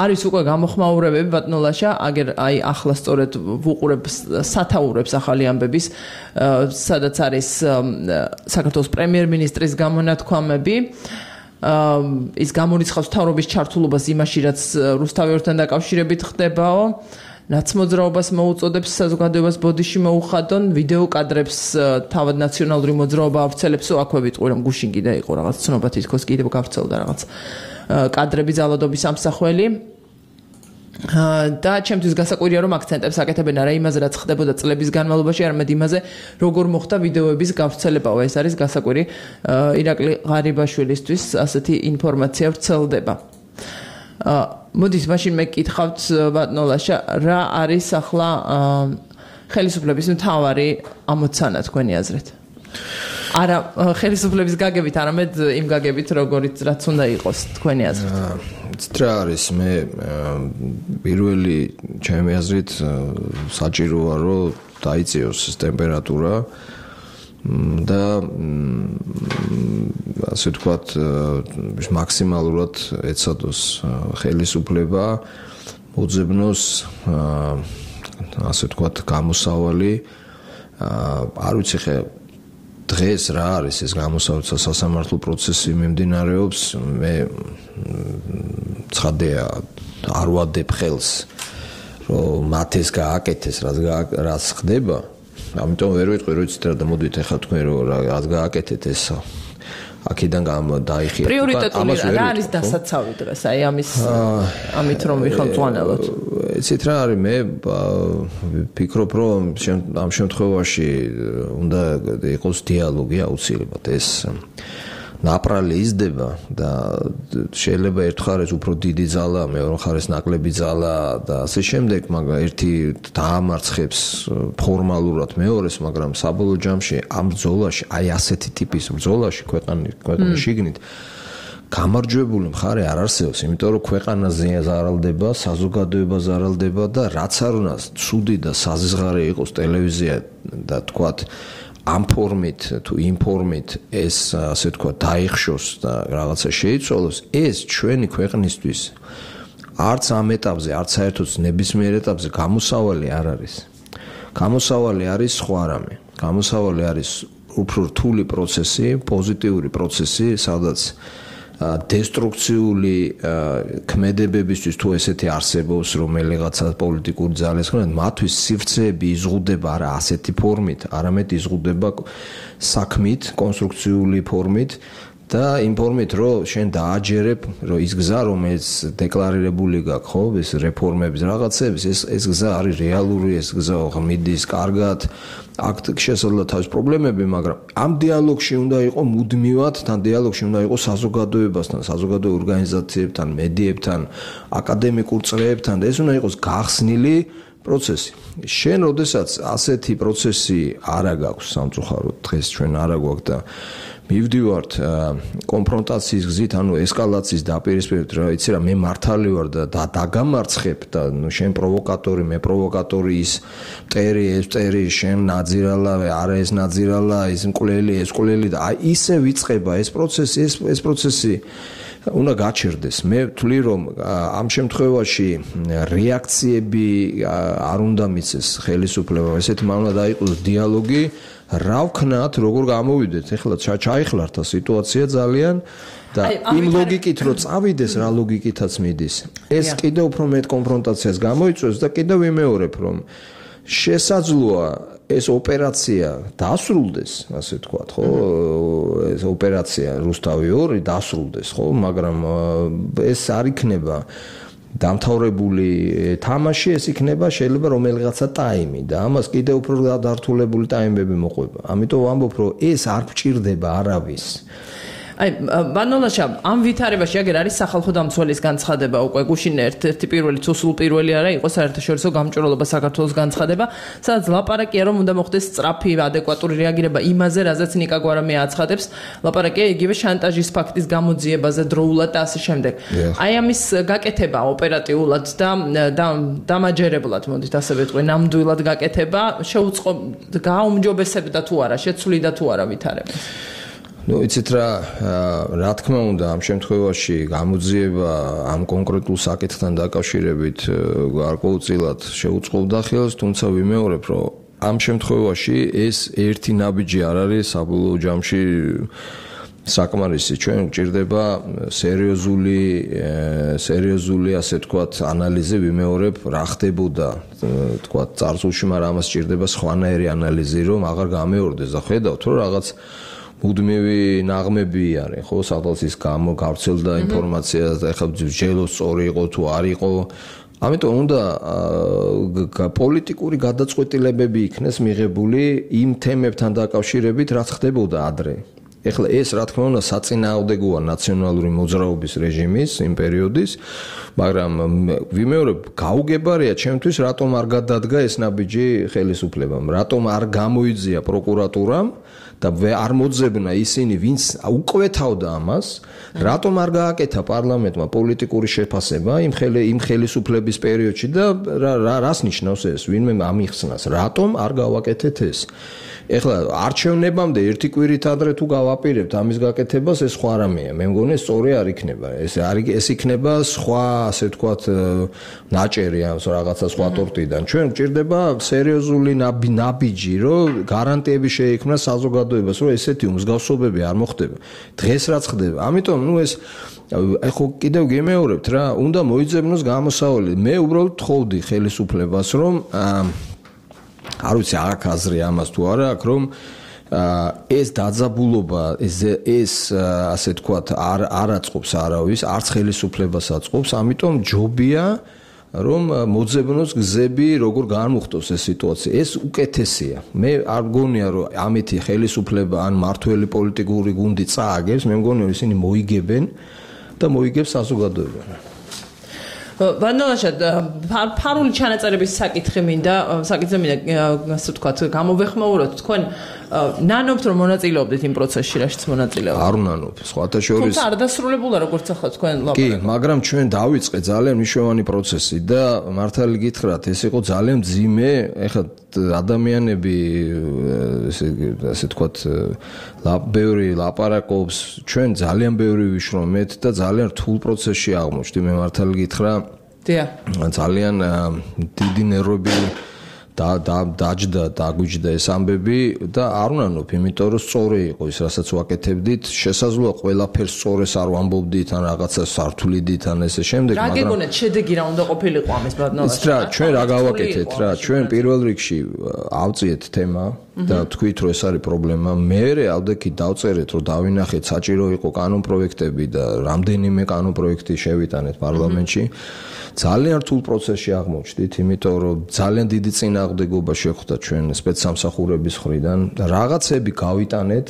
არის უკვე გამოხმაურებები ბატონო ლაშა, აგერ აი ახლა სწორედ ვუყურებ სათაურებს ახალი ამბების, სადაც არის საქართველოს პრემიერ-მინისტრის გამონათქვამები. ის გამორიცხავს მთავრობის ჩართულობას იმაში, რაც რუსთავიორთან დაკავშირებით ხდებაო. ნაცმოძრაობას მოუწოდებს საზოგადოებას ბოდიში მოუხადონ, ვიდეო კადრებს თავად ნაციონალური მოძრაობა ავრცელებსო, აქვე ვიტყვი რომ გუშინ კიდე იყო რაღაც ცნობა თითქოს კიდევ გავრცელდა რაღაც კადრები ძალადობის ამსახველი. და ჩემთვის გასაკვირია რომ აქცენტებს აკეთებენ არა იმაზე რაც ხდებოდა წლების განმავლობაში, არამედ იმაზე როგორ მოხდა ვიდეოების გავრცელებაო. ეს არის გასაკვირი. ირაკლი ღარიბაშვილისთვის ასეთი ინფორმაცია ვრცელდება. მოდით მაშინ მე გკითხავთ ბატონო ლაშა, რა არის ახლა ხელისუფლების მთავარი ამოცანა თქვენი აზრით? არა ხელისუფლების გაგებით, არამედ იმ გაგებით, როგორიც რაც უნდა იყოს თქვენი აზრით.
რა არის მე პირველი ჩემი აზრით საჭიროა რომ დაიწიოს ტემპერატურა და ასე ვთქვათ მაქსიმალურად ეცადოს ხელისუფლება მოძებნოს ასე ვთქვათ გამოსავალი არ ვიცი ხე დღეს რა არის ეს გამოსავალი სასამართლო პროცესი მიმდინარეობს მე ცხადია არ ვადებ ხელს რომ მათ ეს გააკეთეს რაც ხდება ამიტომ ვერ ვიტყვი რომ იცით რა და მოდით ახლა თქვენ რომ რა გააკეთეთ ეს აქედან დაიხიათ.
პრიორიტეტული რა არის დასაცავი დღეს აი ამით რომ ვიხელმძღვანელოთ.
იცით რა არის მე ვფიქრობ რომ ამ შემთხვევაში უნდა იყოს დიალოგი აუცილებლად ეს ნაპრალი იზრდება და შეიძლება ერთხარეს უფრო დიდი ძალა, მეორე მხარეს ნაკლები ძალა და ასე შემდეგ, მაგრამ ერთი დაამარცხებს ფორმალურად მეორეს, მაგრამ საბოლოო ჯამში ამ ბრძოლაში, აი ასეთი ტიპის ბრძოლაში ქვეყნის შიგნით გამარჯვებული მხარე არ არსებობს, იმიტომ რომ ქვეყანა ზარალდება, საზოგადოება ზარალდება და რაც არ უნდა ცუდი და საზღარი იყოს ტელევიზია და თქვათ ამ ფორმით თუ იმ ფორმით ეს ასე თქვა დაიხშოს და რაღაცა შეიცვალოს ეს ჩვენი ქვეყნისთვის არც ამ ეტაპზე არც საერთოდ ნებისმიერ ეტაპზე გამოსავალი არ არის. გამოსავალი არის სხვა რამე. გამოსავალი არის უფრო რთული პროცესი, პოზიტიური პროცესი, სადაც დესტრუქციული ქმედებებისთვის თუ ესეთი არსებობს რომელიღაცა პოლიტიკური ძალის ხომ მათთვის სივრცეები იზღუდება არა ასეთი ფორმით, არამედ იზღუდება საქმით, კონსტრუქციული ფორმით და იმ ფორმით რომ შენ დააჯერებ რომ ის გზა რომელიც დეკლარირებული გაქვს ხო ეს რეფორმების რაღაცების ეს გზა არის რეალური ეს გზა მიდის კარგად აქ შესაძლოა თავის პრობლემები მაგრამ ამ დიალოგში უნდა იყოს მუდმივად თან დიალოგში უნდა იყოს საზოგადოებასთან საზოგადოებრივ ორგანიზაციებთან მედიებთან აკადემიკურ წრეებთან და ეს უნდა იყოს გახსნილი პროცესი შენ როდესაც ასეთი პროცესი არა გაქვს სამწუხაროდ დღეს ჩვენ არა გვაქვს და მივდივართ კონფრონტაციის გზით, ანუ ესკალაციის დაპირისპირებით, რა იცი რა, მე მართალი ვარ და დაგამარცხებ და ნუ შენ პროვოკატორი, მე პროვოკატორი ის მტერი, ეს მტერი, შენ ნაძირალა, არა ეს ნაძირალა, ის მკვლელი, ეს მკვლელი და აი ისე ვიწყება ეს პროცესი, ეს პროცესი უნდა გაჩერდეს. მე ვთვლი რომ ამ შემთხვევაში რეაქციები არ უნდა მიცეს ხელისუფლება, ესეთი უნდა დაიყოს დიალოგი რა ვქნათ, როგორ გამოვიდეთ, ეხლა ჩაიხლართ და სიტუაცია ძალიან და იმ ლოგიკით რომ წავიდეს, რა ლოგიკითაც მიდის. ეს კიდევ უფრო მეტ კონფრონტაციას გამოიწვევს და კიდევ ვიმეორებ, რომ შესაძლოა ეს ოპერაცია დასრულდეს, ასე ვთქვათ, ხო? ეს ოპერაცია რუსთავი 2 დასრულდეს, ხო? მაგრამ ეს არ იქნება დამთავრებული თამაში ეს იქნება შეიძლება რომელიღაცა ტაიმი და ამას კიდევ უფრო დართულებული ტაიმები მოყვება. ამიტომ ვამბობ რომ ეს არ გჭირდება არავის.
აი ბანოლაშა ამ ვითარებაში აგერ არის სახალხო დამცველის განცხადება უკვე გუშინ ერთ-ერთი პირველი თუ სულ პირველი არა იყო საერთაშორისო გამჭვირვალობა საქართველოს განცხადება სადაც ლაპარაკია რომ უნდა მოხდეს სწრაფი ადეკვატური რეაგირება იმაზე რაზეც ნიკა გვარამია აცხადებს ლაპარაკია იგივე შანტაჟის ფაქტის გამოძიებაზე დროულად და ასე შემდეგ აი ამის გაკეთება ოპერატიულად და დამაჯერებლად მოდით ასე ვეთქვი ნამდვილად გაკეთება შეუწყო გააუმჯობესებდა თუ არა შეცვლიდა თუ არა ვითარებას
ну იცით რა თქმა უნდა ამ შემთხვევაში გამოძიება ამ კონკრეტულ საკითხთან დაკავშირებით გარკვეულწილად შეუწყობდა ხელს თუმცა ვიმეორებ რომ ამ შემთხვევაში ეს ერთი ნაბიჯი არ არის საბოლოო ჯამში საკმარისი ჩვენ გვჭირდება სერიოზული ასე თქვათ ანალიზი ვიმეორებ რა ხდებოდა თქვათ წარსულში მაგრამ ამას სჭირდება სხვანაირი ანალიზი რომ აღარ გამეორდეს და ხედავთ რომ რაღაც მუდმივი ნაღმები არის ხო სადღაც ის გავრცელდა ინფორმაცია და ეხლა ჯელოს სწორი იყო თუ არ იყო ამიტომ უნდა პოლიტიკური გადაწყვეტილებები იქნეს მიღებული იმ თემებთან დაკავშირებით რაც ხდებოდა ადრე ეხლა ეს რა თქმა უნდა საწინააღმდეგოა ნაციონალური მოძრაობის რეჟიმის იმ პერიოდის მაგრამ ვიმეორებ გაუგებარია ჩემთვის რატომ არ გადადგა ეს ნაბიჯი ხელისუფლებამ რატომ არ გამოიძია პროკურატურამ და არ მოძებნა ისინი ვინც უკვეთავდა ამას რატომ არ გააკეთა პარლამენტმა პოლიტიკური შეფასება იმ ხელისუფლების პერიოდში და რას ნიშნავს ეს ვინმე ამიხსნას რატომ არ გავაკეთეთ ეს ეხლა არჩევნებამდე ერთი კვირით ადრე თუ გავაპირებთ ამის გაკეთებას ეს სხვა რამეა მე მგონი სწორი არ იქნება ეს იქნება სხვა ასე ვთქვათ ნაჭერი ან რაღაცა სხვა ტორტიდან ჩვენ გვჭირდება სერიოზული ნაბიჯი რომ გარანტიები შეიქმნას საზოგადოებას რომ ესეთი უმსგავსობები არ მოხდება დღეს რაც ხდება ამიტომ ნუ ეს ხო კიდევ გემეორებთ რა უნდა მოიძებნოს გამოსავალი მე უბრალოდ თხოვდი ხელისუფლებას რომ არ ვიცი აქ აზრი ამას თუ არა აქ რომ ეს დაძაბულობა ეს ასე თქვათ არ აწყობს არავის არც ხელისუფლებას აწყობს ამიტომ ჯობია რომ მოძებნოს გზები როგორ განმუხტოს ეს სიტუაცია ეს უკეთესია მე არ მგონია რომ ამეთი ხელისუფლება ან მართველი პოლიტიკური გუნდი წააგებს მე მგონია ისინი მოიგებენ და მოიგებს საზოგადოება
ვანოლაშა ფარული ჩანაწერების საკითხი მინდა ასე ვთქვათ გამოვეხმაუროთ თქვენ ნანობთ რომ მონაწილეობდით იმ პროცესში რაშიც მონაწილეობთ
არ ვნანობ სხვათა შორის
თუმცა არ დასრულებულა როგორც ახლა თქვენ
კი
ლაპარაკობთ
მაგრამ ჩვენ დავიწყე ძალიან მნიშვნელოვანი პროცესი და მართალი გითხრათ ეს იყო ძალიან მძიმე ეხლა ადამიანები ასე ვთქვათ ბევრი ლაპარაკობს ჩვენ ძალიან ბევრი ვიშრომეთ და ძალიან რთულ პროცესში აღმოჩნდი მე მართალი გითხრა ძალიან დიდი ნერვები დაგვიჯდა ეს ამბები და არ ვნანობ იმიტომ რომ სწორი იყო ის რასაც ვაკეთებდით შესაძლოა ყველაფერს სწორეს არ ვამბობდით ან რაღაცა სართულიდით ან ესე შემდეგ
მაგრამ რა გეგონეთ შედეგი რა უნდა ყოფილიყო ამის ბადნოლაში
რა ჩვენ რა გავაკეთეთ რა ჩვენ პირველ რიგში ავწიეთ თემა და თქვით რომ ეს არის პრობლემა მე ალდექი დავწერეთ რომ დავინახეთ საჭირო იყო კანონპროექტები და რამდენიმე კანონპროექტი შევიტანეთ პარლამენტში ძალიან რთულ პროცესში აღმოჩნდით იმიტომ რომ ძალიან დიდი წინააღმდეგობა შეხვდა ჩვენ სპეცსამსახურების მხრიდან და რაღაცები გავიტანეთ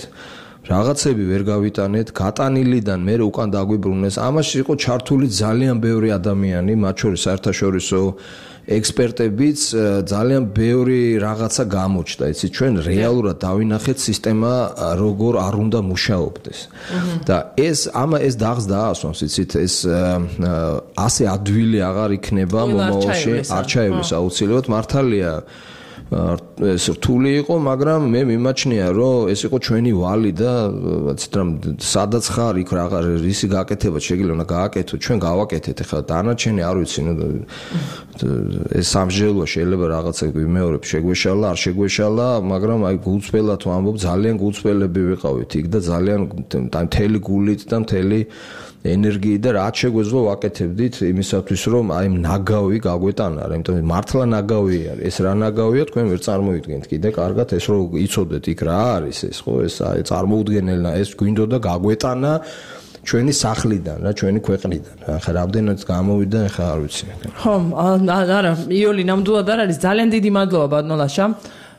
რაღაცები ვერ გავიტანეთ გატანილიდან მე უკან დაგვიბრუნეს ამაში იყო ჩართული ძალიან ბევრი ადამიანი მათ შორის საერთაშორისო ექსპერტებიც ძალიან ბევრი რაღაცა გამოჩნდა იცი ჩვენ რეალურად დავინახეთ სისტემა როგორ არ უნდა მუშაობდეს და ეს დაღს დაასვამს იცით ეს ასე ადვილი აღარ იქნება მომავალში არჩევნების აუცილებლად მართალია ეს რთული იყო მაგრამ მე მიმაჩნია რომ ეს იყო ჩვენი ვალი და ციტრამ სადაც ხარ იქ რაღა რისი გაკეთება შეიძლება უნდა გააკეთო ჩვენ გავაკეთეთ ახლა დანარჩენი არ ვიცი ეს სამსჯელოა შეიძლება რაღაცა ვიმეორებ შეგვეშალა არ შეგვეშალა მაგრამ აი გულწრფელად ვამბობ ძალიან გულწრფელები ვიყავით იქ და ძალიან მთელი გულით და მთელი ენერგიით და რაც შეგვეძლო ვაკეთებდით იმისათვის რომ აი ნაგავი გაგვეტანა რა იმიტომ მართლა ნაგავი არის ეს რა ნაგავია თქვენ ვერ წარმოვიდგენთ კიდე კარგად ეს რომ იცოდეთ იქ რა არის ეს ხო ეს აი წარმოუდგენელია ეს გვინდოდა გაგვეტანა ჩვენი სახლიდან რა ჩვენი ქვეყნიდან ახლა რამდენად გამოვიდა ახლა არ ვიცი
ხო არა იოლი ნამდვილად არ არის ძალიან დიდი მადლობა ბადნოლაშა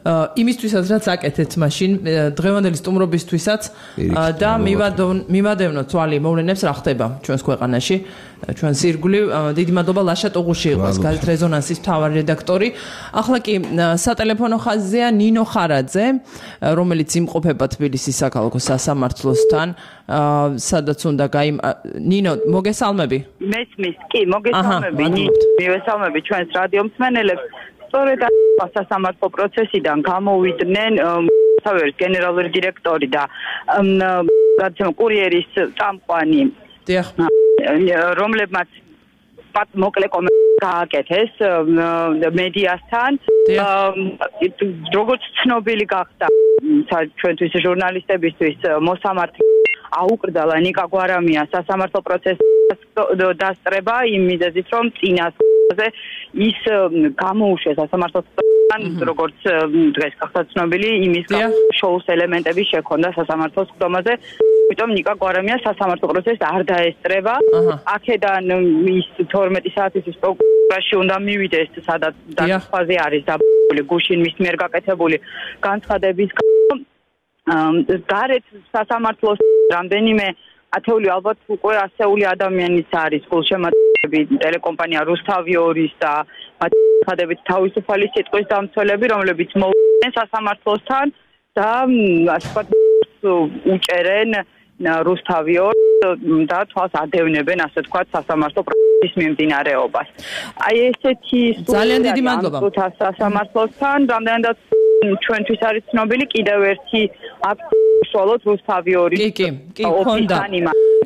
იმისთვისაც რაც აკეთეთ მაშინ დღევანდელი სტუმრობისთვისაც და მივადევნო თვალი მოვლენებს რა ხდება ჩვენს ქვეყანაში ჩვენს ირგვლივ დიდი მადლობა ლაშა ტუღუში იყოს გაზეთ რეზონანსის მთავარი რედაქტორი ახლა კი სატელეფონო ხაზია ნინო ხარაძე რომელიც იმყოფება თბილისის საქალაქო სასამართლოსთან სადაც უნდა ნინო მოგესალმები
მესმის კი მოგესალმები მივესალმები ჩვენს რადიო მსმენელებს სწორედ სასამართლო პროცესიდან გამოვიდნენ საველის გენერალური დირექტორი და გადაცემა კურიერის წამყვანი რომლებმაც მოკლე კომენტარი გააკეთეს მედიასთან როგორც ცნობილი გახდა ჩვენთვის ჟურნალისტებისთვის მოსამართლე აუკრძალა ნიკა გვარამია სასამართლო პროცესის დასწრება იმ მიზეზით რომ წინასწარზე ის გამოუშვეს სასამართლოსთან როგორც დღეს გახდა ცნობილი იმის შოუს ელემენტები შექონდა სასამართლოს ხდომაზე იმიტომ ნიკა გვარამია სასამართლო პროცესს არ დაესწრება აქედან ის 12 საათის პროკურორში უნდა მივიდეს სადაც დაფაზე არის დაბული გუშინ მის მიერ გაკეთებული განცხადების გარეთ სასამართლოს რამდენიმე ათეული ალბათ უკვე ასეული ადამიანის არის გულშემატკივრები ტელეკომპანია რუსთავი 2-ის და მათადებით თავისუფალი სიტყვის დამცველები რომლებიც მოვიდნენ სასამართლოსთან და ასე ვთქვათ უჭერენ რუსთავი 2 და თვალს ადევნებენ ასე ვთქვათ სასამართლო პროცესის მიმდინარეობას აი ესეთი
ძალიან დიდი მადლობა
სასამართლოსთან რამდენადაც ჩვენთვის არის ცნობილი კიდევ ერთი აქტი უშუალოდ რუსთავი 2-ის
კი ქონდა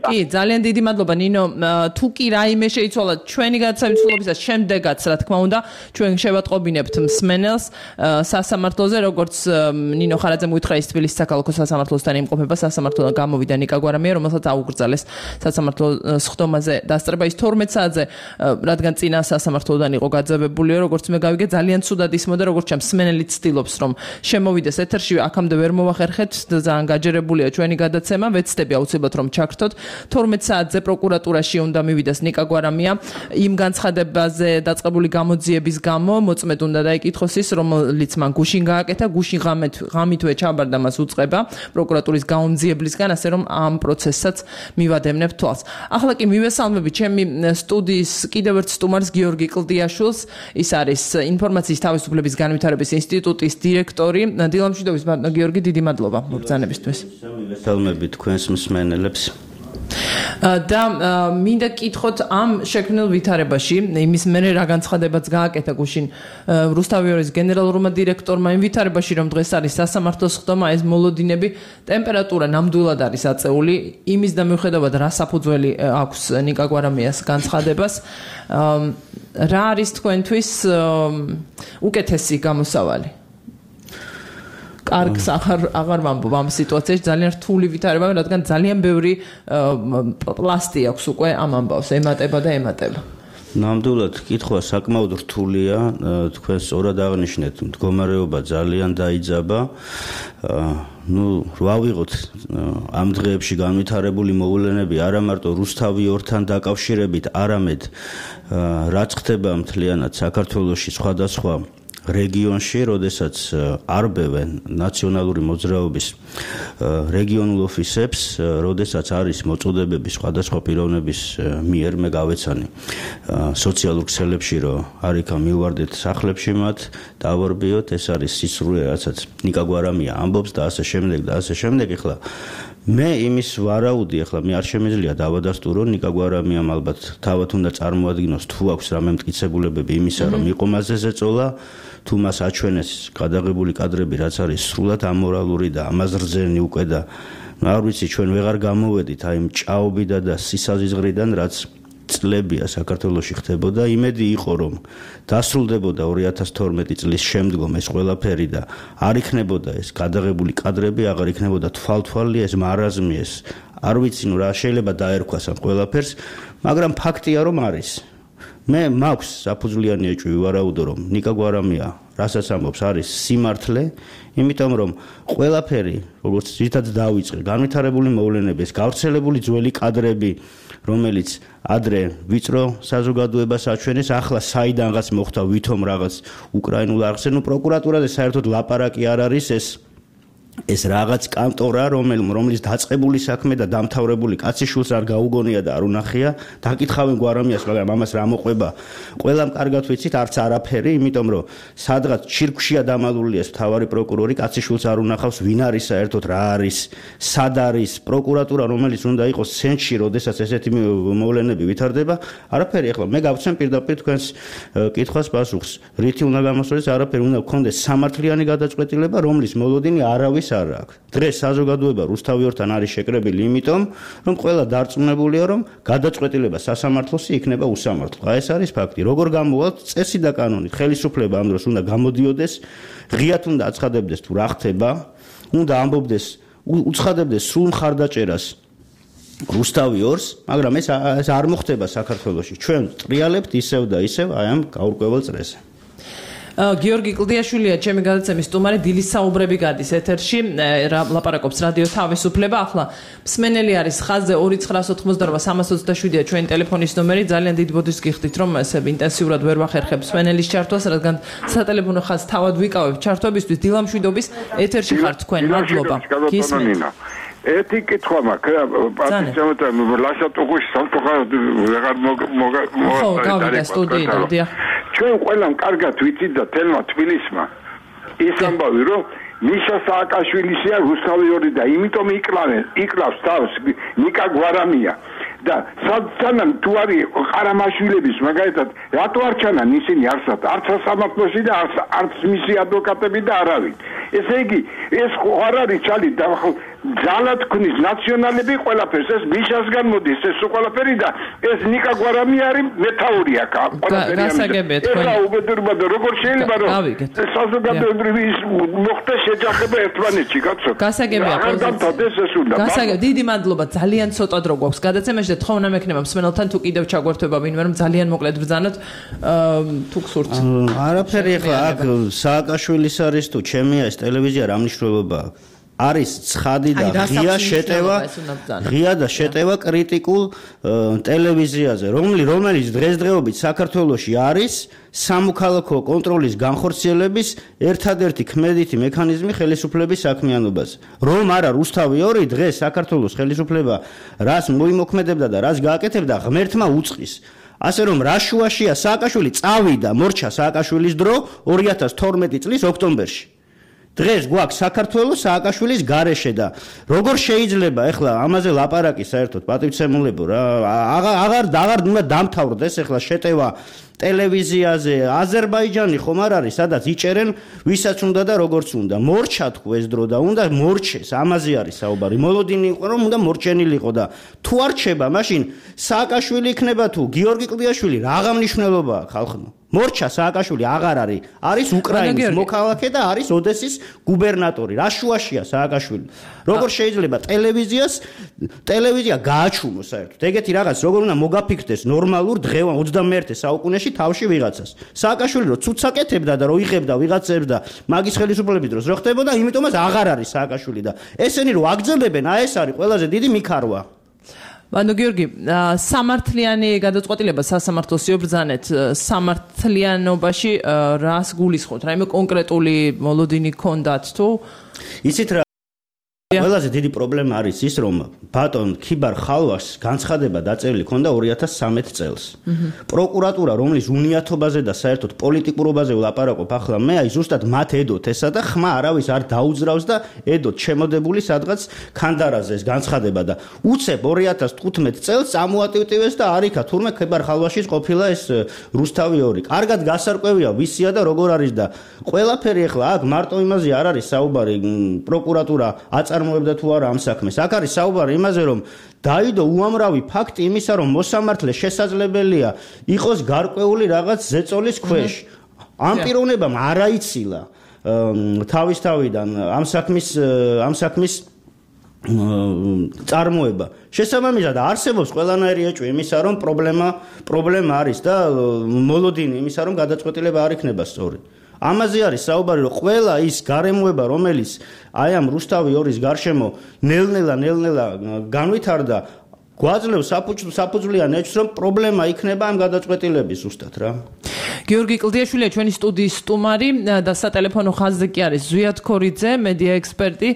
კი, ძალიან დიდი მადლობა ნინო. თუ კი რაიმე შეიცვალა ჩვენი გადაცემის შემდეგაც, რა თქმა უნდა, ჩვენ შევატყობინებთ მსმენელს სასამართლოზე, როგორც ნინო ხარაძემ უთხრა ის თბილისის საქალაქო სასამართლოსთან იმყოფება, სასამართლოდან გამოვიდა ნიკა გვარამია, რომელსაც აუგრძალეს სასამართლოს სხდომაზე დასწრება ის 12 საათზე, რადგან წინა სასამართლოდან იყო გაძევებულიო, როგორც მე გავიგე, ძალიან ცუდად ისმოდა, როგორც ჩემ მსმენელი ცდილობს, რომ შემოვიდეს ეთერში, აქამდე ვერ მოვახერხეთ, ძალიან გაჯერებულია ჩვენი გადაცემა, ვეცდები აუცილებლად რომ ჩაგრთოთ. 12 საათზე პროკურატურაში უნდა მივიდეს ნიკა გვარამია იმ განცხადებაზე დაწყებული გამოძიების გამო, მოწმედ უნდა დაიკითხოს ის, რომელიც მან გუშინ გააკეთა, გუშინ ღამითვე ჩაბარდა მას უწყება პროკურატურის გაუმძიებლისგან, ასე რომ ამ პროცესსაც მივადევნებ თვალს. ახლა კი მივესალმები ჩემი სტუდიის კიდევ ერთ სტუმარს გიორგი კლდიაშვილს, ის არის ინფორმაციის თავისუფლების განვითარების ინსტიტუტის დირექტორი. დილამშვიდობის ბატონო გიორგი, დიდი მადლობა მოგზანებისთვის.
მივესალმები თქვენს მსმენელებს.
და მინდა კითხოთ ამ შექმნილ ვითარებაში, იმის მერე რა განცხადებაც გააკეთა გუშინ რუსთავიორის გენერალურმა დირექტორმა იმ ვითარებაში, რომ დღეს არის სასამართლოს სხდომა, ეს მოლოდინები, ტემპერატურა ნამდვილად არის აწეული, იმის და მიუხედავად რა საფუძველი აქვს ნიკა გვარამიას განცხადებას, რა არის თქვენთვის უკეთესი გამოსავალი? კარგს აღარ ვამბობ ამ სიტუაციაში, ძალიან რთული ვითარება, რადგან ძალიან ბევრი პლასტი აქვს უკვე ამ ამბავს, ემატება და ემატება.
ნამდვილად კითხვა საკმაოდ რთულია, თქვენ სწორად აღნიშნეთ, მდგომარეობა ძალიან დაიძაბა. რა ვიღოთ ამ დღეებში განვითარებული მოვლენები არა მარტო რუსთავიორთან დაკავშირებით, არამედ რაც ხდება მთლიანად საქართველოში სხვადასხვა რეგიონში, როდესაც არბევენ ნაციონალური მოძრაობის რეგიონულ ოფისებს, როდესაც არის მოწოდებები სხვადასხვა პიროვნების მიერ, მე გავეცანი სოციალურ ქსელებში, რომ არიქა მივარდეთ სახლებში მათ, დავარბიოთ, ეს არის სისრული, რასაც ნიკა გვარამია ამბობს და ასე შემდეგ და ასე შემდეგ. ეხლა მე იმის ვარაუდი, ეხლა მე არ შემიძლია დავადასტურო, ნიკა გვარამიამ ალბათ თავად უნდა წარმოადგინოს, თუ აქვს რამე მტკიცებულებები იმისა, რომ იყო მასზე ზეწოლა, თუ მას აჩვენეს გადაღებული კადრები, რაც არის სრულად ამორალური და ამას რძენი უკვე და არ ვიცი, ჩვენ ვეღარ გამოვედით აი ჭაობიდან და სისაზღვრიდან, რაც წლებია საქართველოში ხდებოდა. იმედი იყო, რომ დასრულდებოდა 2012 წლის შემდგომ ეს ყველაფერი და არ იქნებოდა ეს გადაღებული კადრები, აღარ იქნებოდა თვალთვალი, ეს მარაზმი, ეს არ ვიცი, რა შეიძლება დაერქვას ამ ყველაფერს, მაგრამ ფაქტია, რომ არის. მე მაქვს საფუძვლიანი ეჭვი ვარაუდო, რომ ნიკა გვარამია რასაც ამბობს არის სიმართლე, იმიტომ რომ ყველაფერი, როგორც ძირითადად დავიწყე, განვითარებული მოვლენები, ეს გავრცელებული ძველი კადრები, რომელიც ადრე ვიწრო საზოგადოებას აჩვენეს, ახლა საიდანღაც მოხდა ვითომ რაღაც უკრაინულ არხზე, პროკურატურაზე საერთოდ ლაპარაკი არ არის, ეს რაღაც კანტორა, რომელიც დაწყებული საქმე და დამთავრებული კაციშვილს არ გაუგონია და არ უნახია, დაკითხავენ გვარამიას, მაგრამ ამას რა მოყვება? ყველამ კარგად ვიცით, არც არაფერი, იმიტომ რომ სადღაც ჩირკშია დამალულია მთავარი პროკურორი, კაციშვილს არ უნახავს, ვინ არის საერთოდ, რა არის, სად არის პროკურატურა, რომელიც უნდა იყოს ცენტრში, როდესაც ესეთი მოვლენები ვითარდება, არაფერი. ახლა მე გავცემ პირდაპირ თქვენს კითხვას პასუხს. რითი უნდა გამოსვლეს, არაფერი, უნდა გქონდეს სამართლიანი გადაწყვეტილება, რომლის მოლოდინი არავის არ აქვს. დღეს საზოგადოება რუსთავიორთან არის შეკრებილი იმიტომ, რომ ყველა დარწმუნებულია, რომ გადაწყვეტილება სასამართლოსი იქნება უსამართლო. ეს არის ფაქტი. როგორ გამოვალთ წესი და კანონით, ხელისუფლება ამ დროს უნდა გამოდიოდეს, ღიად უნდა აცხადებდეს თუ რა ხდება, უნდა ამბობდეს, უცხადებდეს სრულ მხარდაჭერას რუსთავიორს, მაგრამ ეს არ მოხდება საქართველოში. ჩვენ ტრიალებთ ისევ და ისევ აი ამ გაურკვეველ წრეზე.
გიორგი კლდიაშვილია, ჩემი გადაცემის სტუმარი, დილის საუბრები გადის ეთერში, ლაპარაკობს რადიო თავისუფლება. ახლა მსმენელი არის ხაზზე 2988327-ია ჩვენი ტელეფონის ნომერი. ძალიან დიდ ბოდიშს გიხდით, რომ ესე ინტენსიურად ვერ ვახერხებ მსმენელის ჩართვას, რადგან სატელეფონო ხაზს თავად ვიკავებ ჩართვებისთვის. დილამშვიდობის ეთერში ხართ თქვენ. მადლობა. გისმენთ.
ერთი კითხვა მაქვს, პატიცემოთა ლაშატუღუში სამწუხაროდ ვეღარ
გავიდა სტუდიიდან, დიახ.
ჩვენ ყველამ კარგად ვიცით და თელმა თბილისმა ის ამბავი, რომ მიშა სააკაშვილისია რუსთავიორი და იმიტომ იკლავს თავს ნიკა გვარამია და სანამ თუ არის ყარამაშვილების მაგალითად რატო არ ჩანან ისინი არსად არც სასამართლოში და არც მისი ადვოკატები და არავინ. ესე იგი ეს ხო არ არის ჩალი ძალად თქვნის ნაციონალები ყველაფერს ეს მიშასგან მოდის ეს ყველაფერი და ეს ნიკა გვარამი არის მეთაური აქ ყველაფერი ეხლა უბედურება და როგორ შეიძლება რომ საზოგადოებრივი მოხდა შეჯახება ერთმანეთში კაცო
გასაგებია გასაგებია დიდი მადლობა ძალიან ცოტა დრო გვაქვს გადაცემაში და თხოვნა მექნება მსმენელთან თუ კიდევ ჩაგვერთვება ვინმე რომ ძალიან მოკლედ ბრძანოთ თუ გსურთ
არაფერი ეხლა აქ სააკაშვილის არის თუ ჩემია ეს ტელევიზია რა მნიშვნელობა არის ცხადი და ღია და შეტევა კრიტიკულ ტელევიზიაზე რომელიც დღესდღეობით საქართველოში არის სამოქალაქო კონტროლის განხორციელების ერთადერთი ქმედითი მექანიზმი ხელისუფლების საქმიანობაზე რომ არა რუსთავი 2 დღეს საქართველოს ხელისუფლება რას მოიმოქმედებდა და რას გააკეთებდა ღმერთმა უწყის ასე რომ რა შუაშია სააკაშვილი წავიდა მორჩა სააკაშვილის დრო 2012 წლის ოქტომბერში დღეს გვაქვს საქართველოს სააკაშვილის გარეშე და როგორ შეიძლება ეხლა ამაზე ლაპარაკი საერთოდ პატივცემულებო რა აღარ უნდა დამთავრდეს ეხლა შეტევა ტელევიზიაზე აზერბაიჯანი ხომ არ არის სადაც იჭერენ ვისაც უნდა და როგორც უნდა მორჩა თუ ეს დრო და უნდა მორჩეს ამაზე არის საუბარი მოლოდინი იყო რომ უნდა მორჩენილიყო და თუ არ რჩება მაშინ სააკაშვილი იქნება თუ გიორგი კლდიაშვილი რაღა მნიშვნელობა აქვს ხალხმა მორჩა სააკაშვილი აღარ არის უკრაინის მოქალაქე და არის ოდესის გუბერნატორი რა შუაშია სააკაშვილი როგორ შეიძლება ტელევიზია გააჩუმოს საერთოდ ეგეთი რაღაც როგორ უნდა მოგაფიქრდეს ნორმალურ დღევან 21 საუკუნეში თავში ვიღაცას სააკაშვილი რო ცუცაკეთებდა და რო იღებდა ვიღაცებს და მაგის ხელისუფლების დროს რო ხდებოდა იმიტომაც აღარ არის სააკაშვილი და ესენი რო აგძლებენ ეს არის ყველაზე დიდი მიქარვა
ბანო გიორგი სამართლიანი გადაწყვეტილება სასამართლოს იობრძანეთ სამართლიანობაში რას გულისხმობთ რაიმე კონკრეტული მოლოდინი გქონდათ თუ
იცით რა ყველაზე დიდი პრობლემა არის ის რომ ბატონ ქიბარ ხალვაშს განცხადება დაწერილი ქონდა 2013 წელს პროკურატურა რომლის უნიათობაზე და საერთოდ პოლიტიკურობაზე ვლაპარაკობ ახლა მე აი ზუსტად მათ ედოთ ესა და ხმა არავის არ დაუძრავს და ედოთ შემოდებული სადღაც ქანდარაზე ეს განცხადება და უცებ 2015 წელს წამოატივტივეს და არიქა თურმე ქიბარ ხალვაშის ყოფილა ეს რუსთავი 2 კარგად გასარკვევია ვისია და როგორ არის და ყველაფერი ახლა აქ მარტო იმაზე არ არის საუბარი პროკურატურა წარმოებდა თუ არა ამ საქმეს. აქ არის საუბარი იმაზე, რომ დაიდო უამრავი ფაქტი იმისა, რომ მოსამართლე შესაძლებელია იყოს გარკვეული რაღაც ზეწოლის ქვეშ. ამ პიროვნებამ არ აიცილა თავისთავიდან ამ საქმის წარმოება. შესაბამისად არსებობს ყველანაირი ეჭვი იმისა, რომ პრობლემა არის და მოლოდინი იმისა, რომ გადაწყვეტილება არ იქნება სწორი. ამაზე არის საუბარი, რომ ყველა ის გარემოება, რომელიც აი ამ რუსთავი 2-ის გარშემო ნელ-ნელა განვითარდა, გვაძლევს საფუძვლიან ეჭვს, რომ პრობლემა იქნება ამ გადაწყვეტილების ზუსტად რა.
გიორგი კლდიაშვილია ჩვენი სტუდიის სტუმარი და სატელეფონო ხაზზე კი არის ზვიად ქორიძე, მედია ექსპერტი.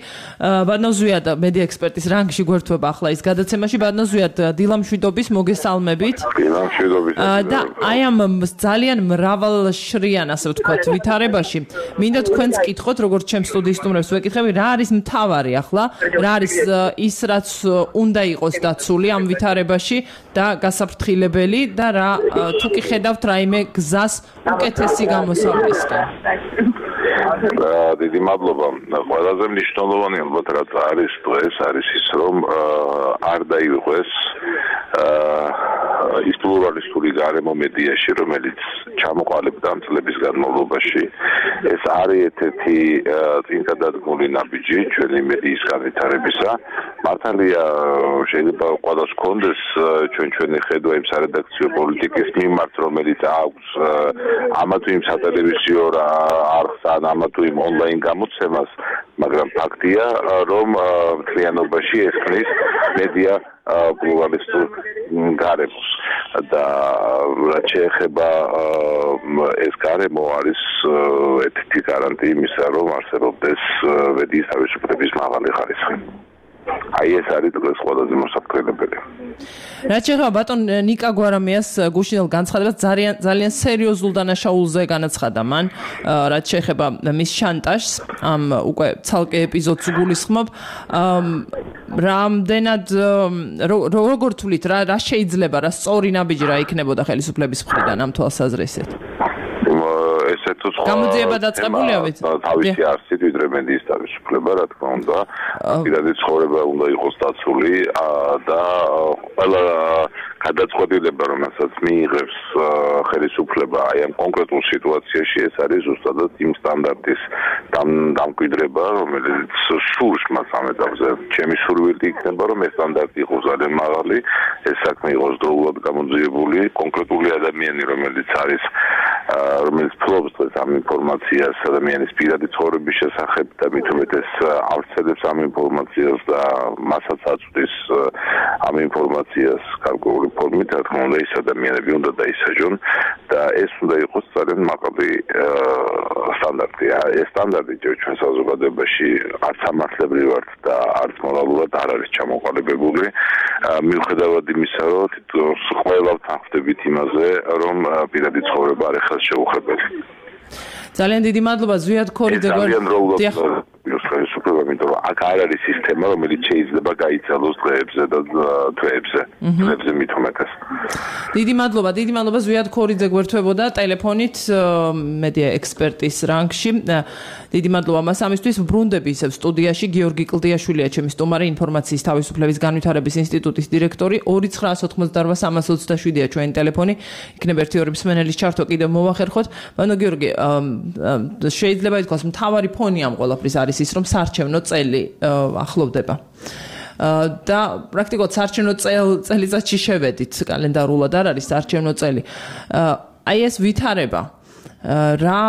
ბატონო ზვიად, მედია ექსპერტის რანგში გვერდება ახლა ის გადაცემაში. ბატონო ზვიად, დილამშვიდობის მოგესალმებით.
დილამშვიდობის.
და აი ამ ძალიან მრავალშრიან, ასე ვთქვათ, ვითარებაში მინდა თქვენს კითხოთ, როგორც ჩემს სტუდიის სტუმრებს ვეკითხები, რა არის მთავარი ახლა, რა არის ის, რაც უნდა იყოს დაცული ამ ვითარებაში და გასაფრთხილებელი და რა თუ კი ხედავთ რაიმე გზას უკეთესი გამოსავლისკენ.
დიდი მადლობა. ყველაზე მნიშვნელოვანი ალბათ რაც არის დღეს არის ის რომ არ დაიღოს ის პლურალისტური გარემო მედიაში რომელიც ჩამოყალიბდა ამ წლების განმავლობაში. ეს არის ერთ-ერთი წინგადადგმული ნაბიჯი ჩვენი მედიის განვითარებისა. მართალია შეიძლება ყველას ჰქონდეს ჩვენი ხედვა იმ სარედაქციო პოლიტიკის მიმართ რომელიც აქვს ამა თუ იმ სატელევიზიო არხს ან ამა თუ იმ ონლაინ გამოცემას, მაგრამ ფაქტია რომ მთლიანობაში ეს ქმნის მედია პლურალისტურ გარემოს და რაც შეეხება ეს გარემო არის ერთ-ერთი გარანტი იმისა, რომ არსებობდეს მედიის თავისუფლების მაღალი ხარისხი. აი ეს არის დღეს ყველაზე მოსაფრთხილებელი.
რაც შეეხება ბატონ ნიკა გვარამიას გუშინელ განცხადებას ძალიან სერიოზულ დანაშაულზე განაცხადა მან, რაც შეეხება მის შანტაჟს, ამ უკვე ცალკე ეპიზოდს გულისხმობ. რამდენად როგორ თვლით, რა შეიძლება, რა სწორი ნაბიჯი რა იქნებოდა ხელისუფლების მხრიდან ამ თვალსაზრისით?
ესეთ
გამოძიება დაწყებულია ვიცი.
თავისი არსით ვიდრე მედიის თავისუფლება, რა თქმა უნდა, პირადი ცხოვრება უნდა იყოს დაცული და ყველა გადაწყვეტილება, რომელსაც მიიღებს ხელისუფლება აი ამ კონკრეტულ სიტუაციაში, ეს არის ზუსტადად იმ სტანდარტის დამკვიდრება, რომელიც სურს მას ამ ეტაპზე. ჩემი სურვილი იქნება, რომ ეს სტანდარტი იყოს ძალიან მაღალი, ეს საქმე იყოს დროულად გამოძიებული, კონკრეტული ადამიანი, რომელიც ფლობს დღეს ამ ინფორმაციას ადამიანის პირადი ცხოვრების შესახებ და მით უმეტეს ავრცელებს ამ ინფორმაციას და მასაც აწვდის ამ ინფორმაციას გარკვეული ფორმით, რა თქმა უნდა, ის ადამიანები უნდა დაისაჯონ და ეს უნდა იყოს ძალიან მაღალი სტანდარტი. ეს სტანდარტი ჩვენ საზოგადოებაში არც სამართლებრივად და არც მორალურად არ არის ჩამოყალიბებული. მიუხედავად იმისა, რომ თითქოს ყველა თანხმდებით იმაზე, რომ პირადი ცხოვრება არ ხარ შეუხებელი.
ძალიან დიდი მადლობა ზვიად ქორიძე
ხელისუფლება, იმიტომ რომ აქ არ არის სისტემა, რომელიც შეიძლება გაიცალოს დღეებზე და თვეებზე მით უმეტეს.
დიდი მადლობა ზვიად ქორიძე გვერდებოდა ტელეფონით მედია ექსპერტის რანგში. დიდი მადლობა მას ამისთვის. ბრუნდები ისევ სტუდიაში გიორგი კლდიაშვილია ჩემი სტუმარი, ინფორმაციის თავისუფლების განვითარების ინსტიტუტის დირექტორი. 2988327-ია ჩვენი ტელეფონი. იქნება 1-2 მსმენელის ჩართვა კიდევ მოვახერხოთ. ბანო გიორგი, შეიძლება ითქვას მთავარი ფონი ამ ყველაფრის არის ის, რომ საარჩევნო წელი ახლოვდება. და პრაქტიკულად საარჩევნო წელიწადში შევედით, კალენდარულად არ არის საარჩევნო წელი. აი ეს ვითარება რა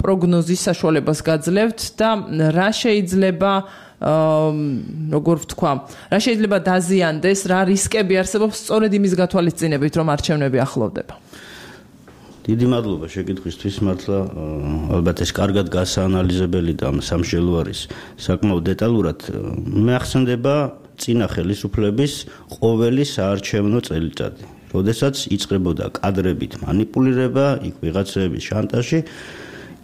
პროგნოზის საშუალებას გაძლევთ და რა შეიძლება როგორ ვთქვა, რა შეიძლება დაზიანდეს, რა რისკები არსებობს სწორედ იმის გათვალისწინებით, რომ არჩევნები ახლოვდება.
დიდი მადლობა შეკითხვისთვის, მართლა ალბათ ეს კარგად გასაანალიზებელი და სამშელო არის საკმაოდ დეტალურად. მე ახსენდება წინა ხელისუფლების ყოველი საარჩევნო წელიწადი, როდესაც იწყებოდა კადრებით მანიპულირება, იქ ვიღაცების შანტაჟი,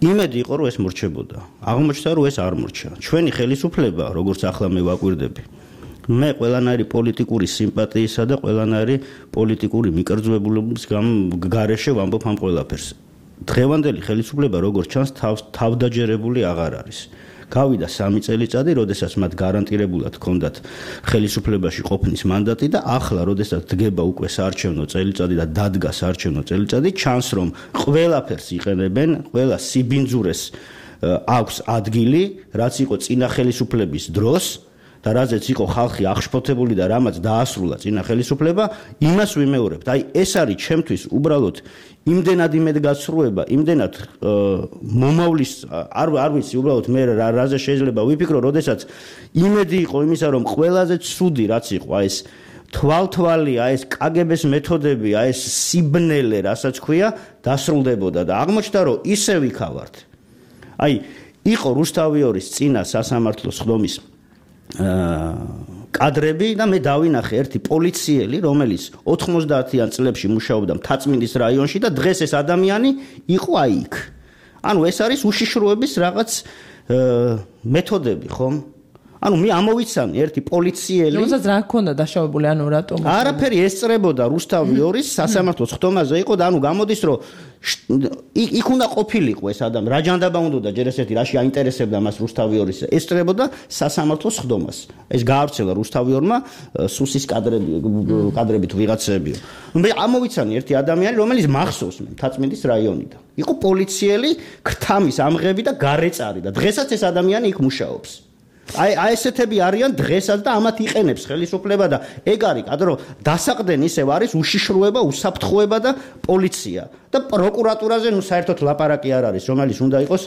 იმედი იყო, რომ ეს მორჩებოდა. აღმოჩნდა, რომ ეს არ მორჩა. ჩვენი ხელისუფლება, როგორც ახლა მე ვაკვირდები, მე ყველანაირი პოლიტიკური სიმპათიისა და ყველანაირი პოლიტიკური მიკერძვებულობის გარეშე ვამბობ ამ ყველაფერს. დღევანდელი ხელისუფლება, როგორც ჩანს, თავდაჯერებული აღარ არის. გავიდა 3 წელიწადი, როდესაც მათ გარანტირებულად ჰქონდათ ხელისუფლებაში ყოფნის მანდატი და ახლა, როდესაც დგება უკვე საარჩევნო წელიწადი და დადგა საარჩევნო წელიწადი, ჩანს, რომ ყველაფერს იყენებენ, ყველა სიბინძურეს აქვს ადგილი, რაც იყო წინა ხელისუფლების დროს. და რაზეც იყო ხალხი აღშფოთებული და რამაც დაასრულა წინა ხელისუფლება, იმას ვიმეორებთ. აი ეს არის ჩემთვის უბრალოდ იმდენად იმედგაცრუება, იმდენად მომავლის არ ვიცი უბრალოდ მე რაზე შეიძლება ვიფიქრო, როდესაც იმედი იყო იმისა, რომ ყველაზე ცუდი რაც იყო, აი ეს თვალთვალი, აი ეს კგბ-ს მეთოდები, აი ეს სიბნელე, რასაც ქვია, დასრულდებოდა და აღმოჩნდა, რომ ისე ვიქავართ. აი იყო რუსთავიორის წინა სასამართლოს ხდომის კადრები და მე დავინახე ერთი პოლიციელი, რომელიც 90-იან წლებში მუშაობდა მთაწმინდის რაიონში და დღეს ეს ადამიანი იყო აი იქ. ანუ ეს არის უშიშროების რაღაც მეთოდები, ხომ? ანუ მე ამოვიცანი ერთი პოლიციელი,
რომელსაც რა ჰქონდა დაშავებული, ანუ რატომ?
არაფერი ესწრებოდა რუსთავიორის სასამართლოს ხდომაზე იყო და ანუ გამოდის, რომ იქ უნდა ყოფილიყო ეს ადამიანი, რა ჯანდაბა უნდა ჯერ ესეთი რაში აინტერესებდა მას რუსთავიორის, ესწრებოდა სასამართლოს ხდომას. ეს გაავრცელა რუსთავიორმა სუსის კადრებით ვიღაცები. მე ამოვიცანი ერთი ადამიანი, რომელიც მახსოვს მე მთაწმინდის რაიონიდან. იყო პოლიციელი, ქრთამის ამღები და გარეწარი და დღესაც ეს ადამიანი იქ მუშაობს. აი ესეთები არიან დღესაც და ამათ იყენებს ხელისუფლება და ეგ არის, რომ დასაყრდენ ისევ არის უშიშროება, უსაფრთხოება და პოლიცია და პროკურატურაზე ნუ საერთოდ ლაპარაკი არ არის, რომელიც უნდა იყოს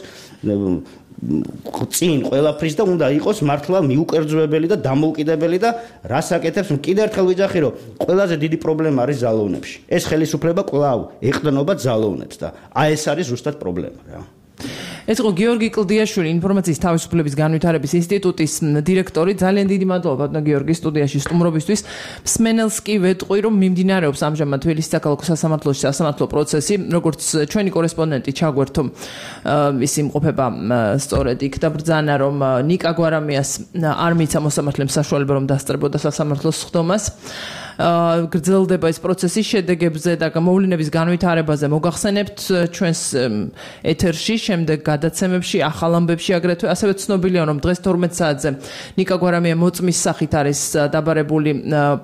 წინ ყველაფრის და უნდა იყოს მართლა მიუკერძოებელი და დამოუკიდებელი და რას აკეთებს, კიდევ ერთხელ ვიძახი, რომ ყველაზე დიდი პრობლემა არის ძალოვნებში. ეს ხელისუფლება კვლავ ეყრდნობა ძალოვნებს და აი ეს არის ზუსტად პრობლემა რა.
ეს იყო გიორგი კლდიაშვილი, ინფორმაციის თავისუფლების განვითარების ინსტიტუტის დირექტორი. ძალიან დიდი მადლობა ბატონო გიორგი სტუდიაში სტუმრობისთვის. მსმენელს კი ვეტყვი, რომ მიმდინარეობს ამჟამად თბილისის საქალაქო სასამართლოში სასამართლო პროცესი, როგორც ჩვენი კორესპონდენტი ჩაგვერთო, ის იმყოფება სწორედ იქ და ბრძანა, რომ ნიკა გვარამიას არ მიცა მოსამართლემ საშუალება, რომ დასწრებოდა სასამართლოს ხდომას. გრძელდება ეს პროცესი შედეგებზე და მოვლენების განვითარებაზე მოგახსენებთ ჩვენს ეთერში, შემდეგ გადაცემებში, ახალ ამბებში აგრეთვე ასევე ცნობილია, რომ დღეს 12 საათზე ნიკა გვარამია მოწმის სახით არის დაბარებული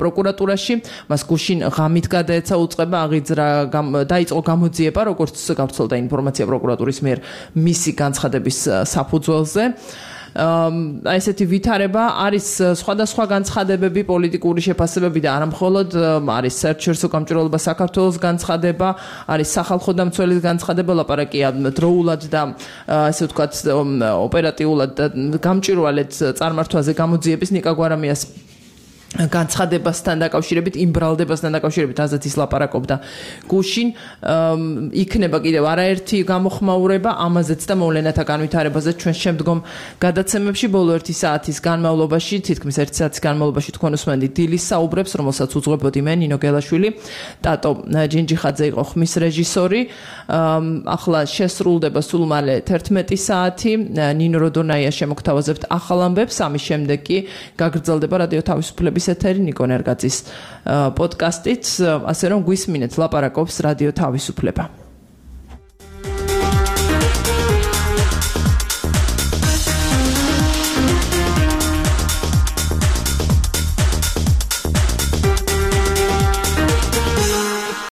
პროკურატურაში. მას გუშინ ღამით გადაეცა უწყება აღიძრა დაიწყო გამოძიება, როგორც გავრცელდა ინფორმაცია პროკურატურის მიერ მისი განცხადების საფუძველზე. ესეთი ვითარება არის სხვადასხვა განცხადებები, პოლიტიკური შეფასებები და არა მხოლოდ არის საერთაშორისო გამჭვირვალობა საქართველოს განცხადება, არის სახალხო დამცველის განცხადება, ლაპარაკია დროულად და ესე ვთქვათ ოპერატიულად და გამჭვირვალედ წარმართვაზე გამოძიების ნიკა გვარამიას განცხადებასთან დაკავშირებით, იმ ბრალდებასთან დაკავშირებით, რაზეც ის ლაპარაკობდა გუშინ, იქნება კიდევ არაერთი გამოხმაურება ამაზეც და მოვლენათა განვითარებაზე ჩვენ შემდგომ გადაცემებში ბოლო 1 საათის განმავლობაში, თითქმის 1 საათის განმავლობაში თქვენ უსმენთ დილის საუბრებს, რომელსაც უძღვებოდი მე, ნინო გელაშვილი, ტატო ჯინჯიხაძე იყო ხმის რეჟისორი. ახლა შესრულდება სულ მალე 11 საათი, ნინო როდონაია შემოგთავაზებთ ახალ ამბებს, ამის შემდეგ კი გაგრძელდება რადიო თავისუფლების ეთერი ნიკო ნერგაძის პოდკასტით, ასე რომ გვისმინეთ ლაპარაკობს რადიო თავისუფლება.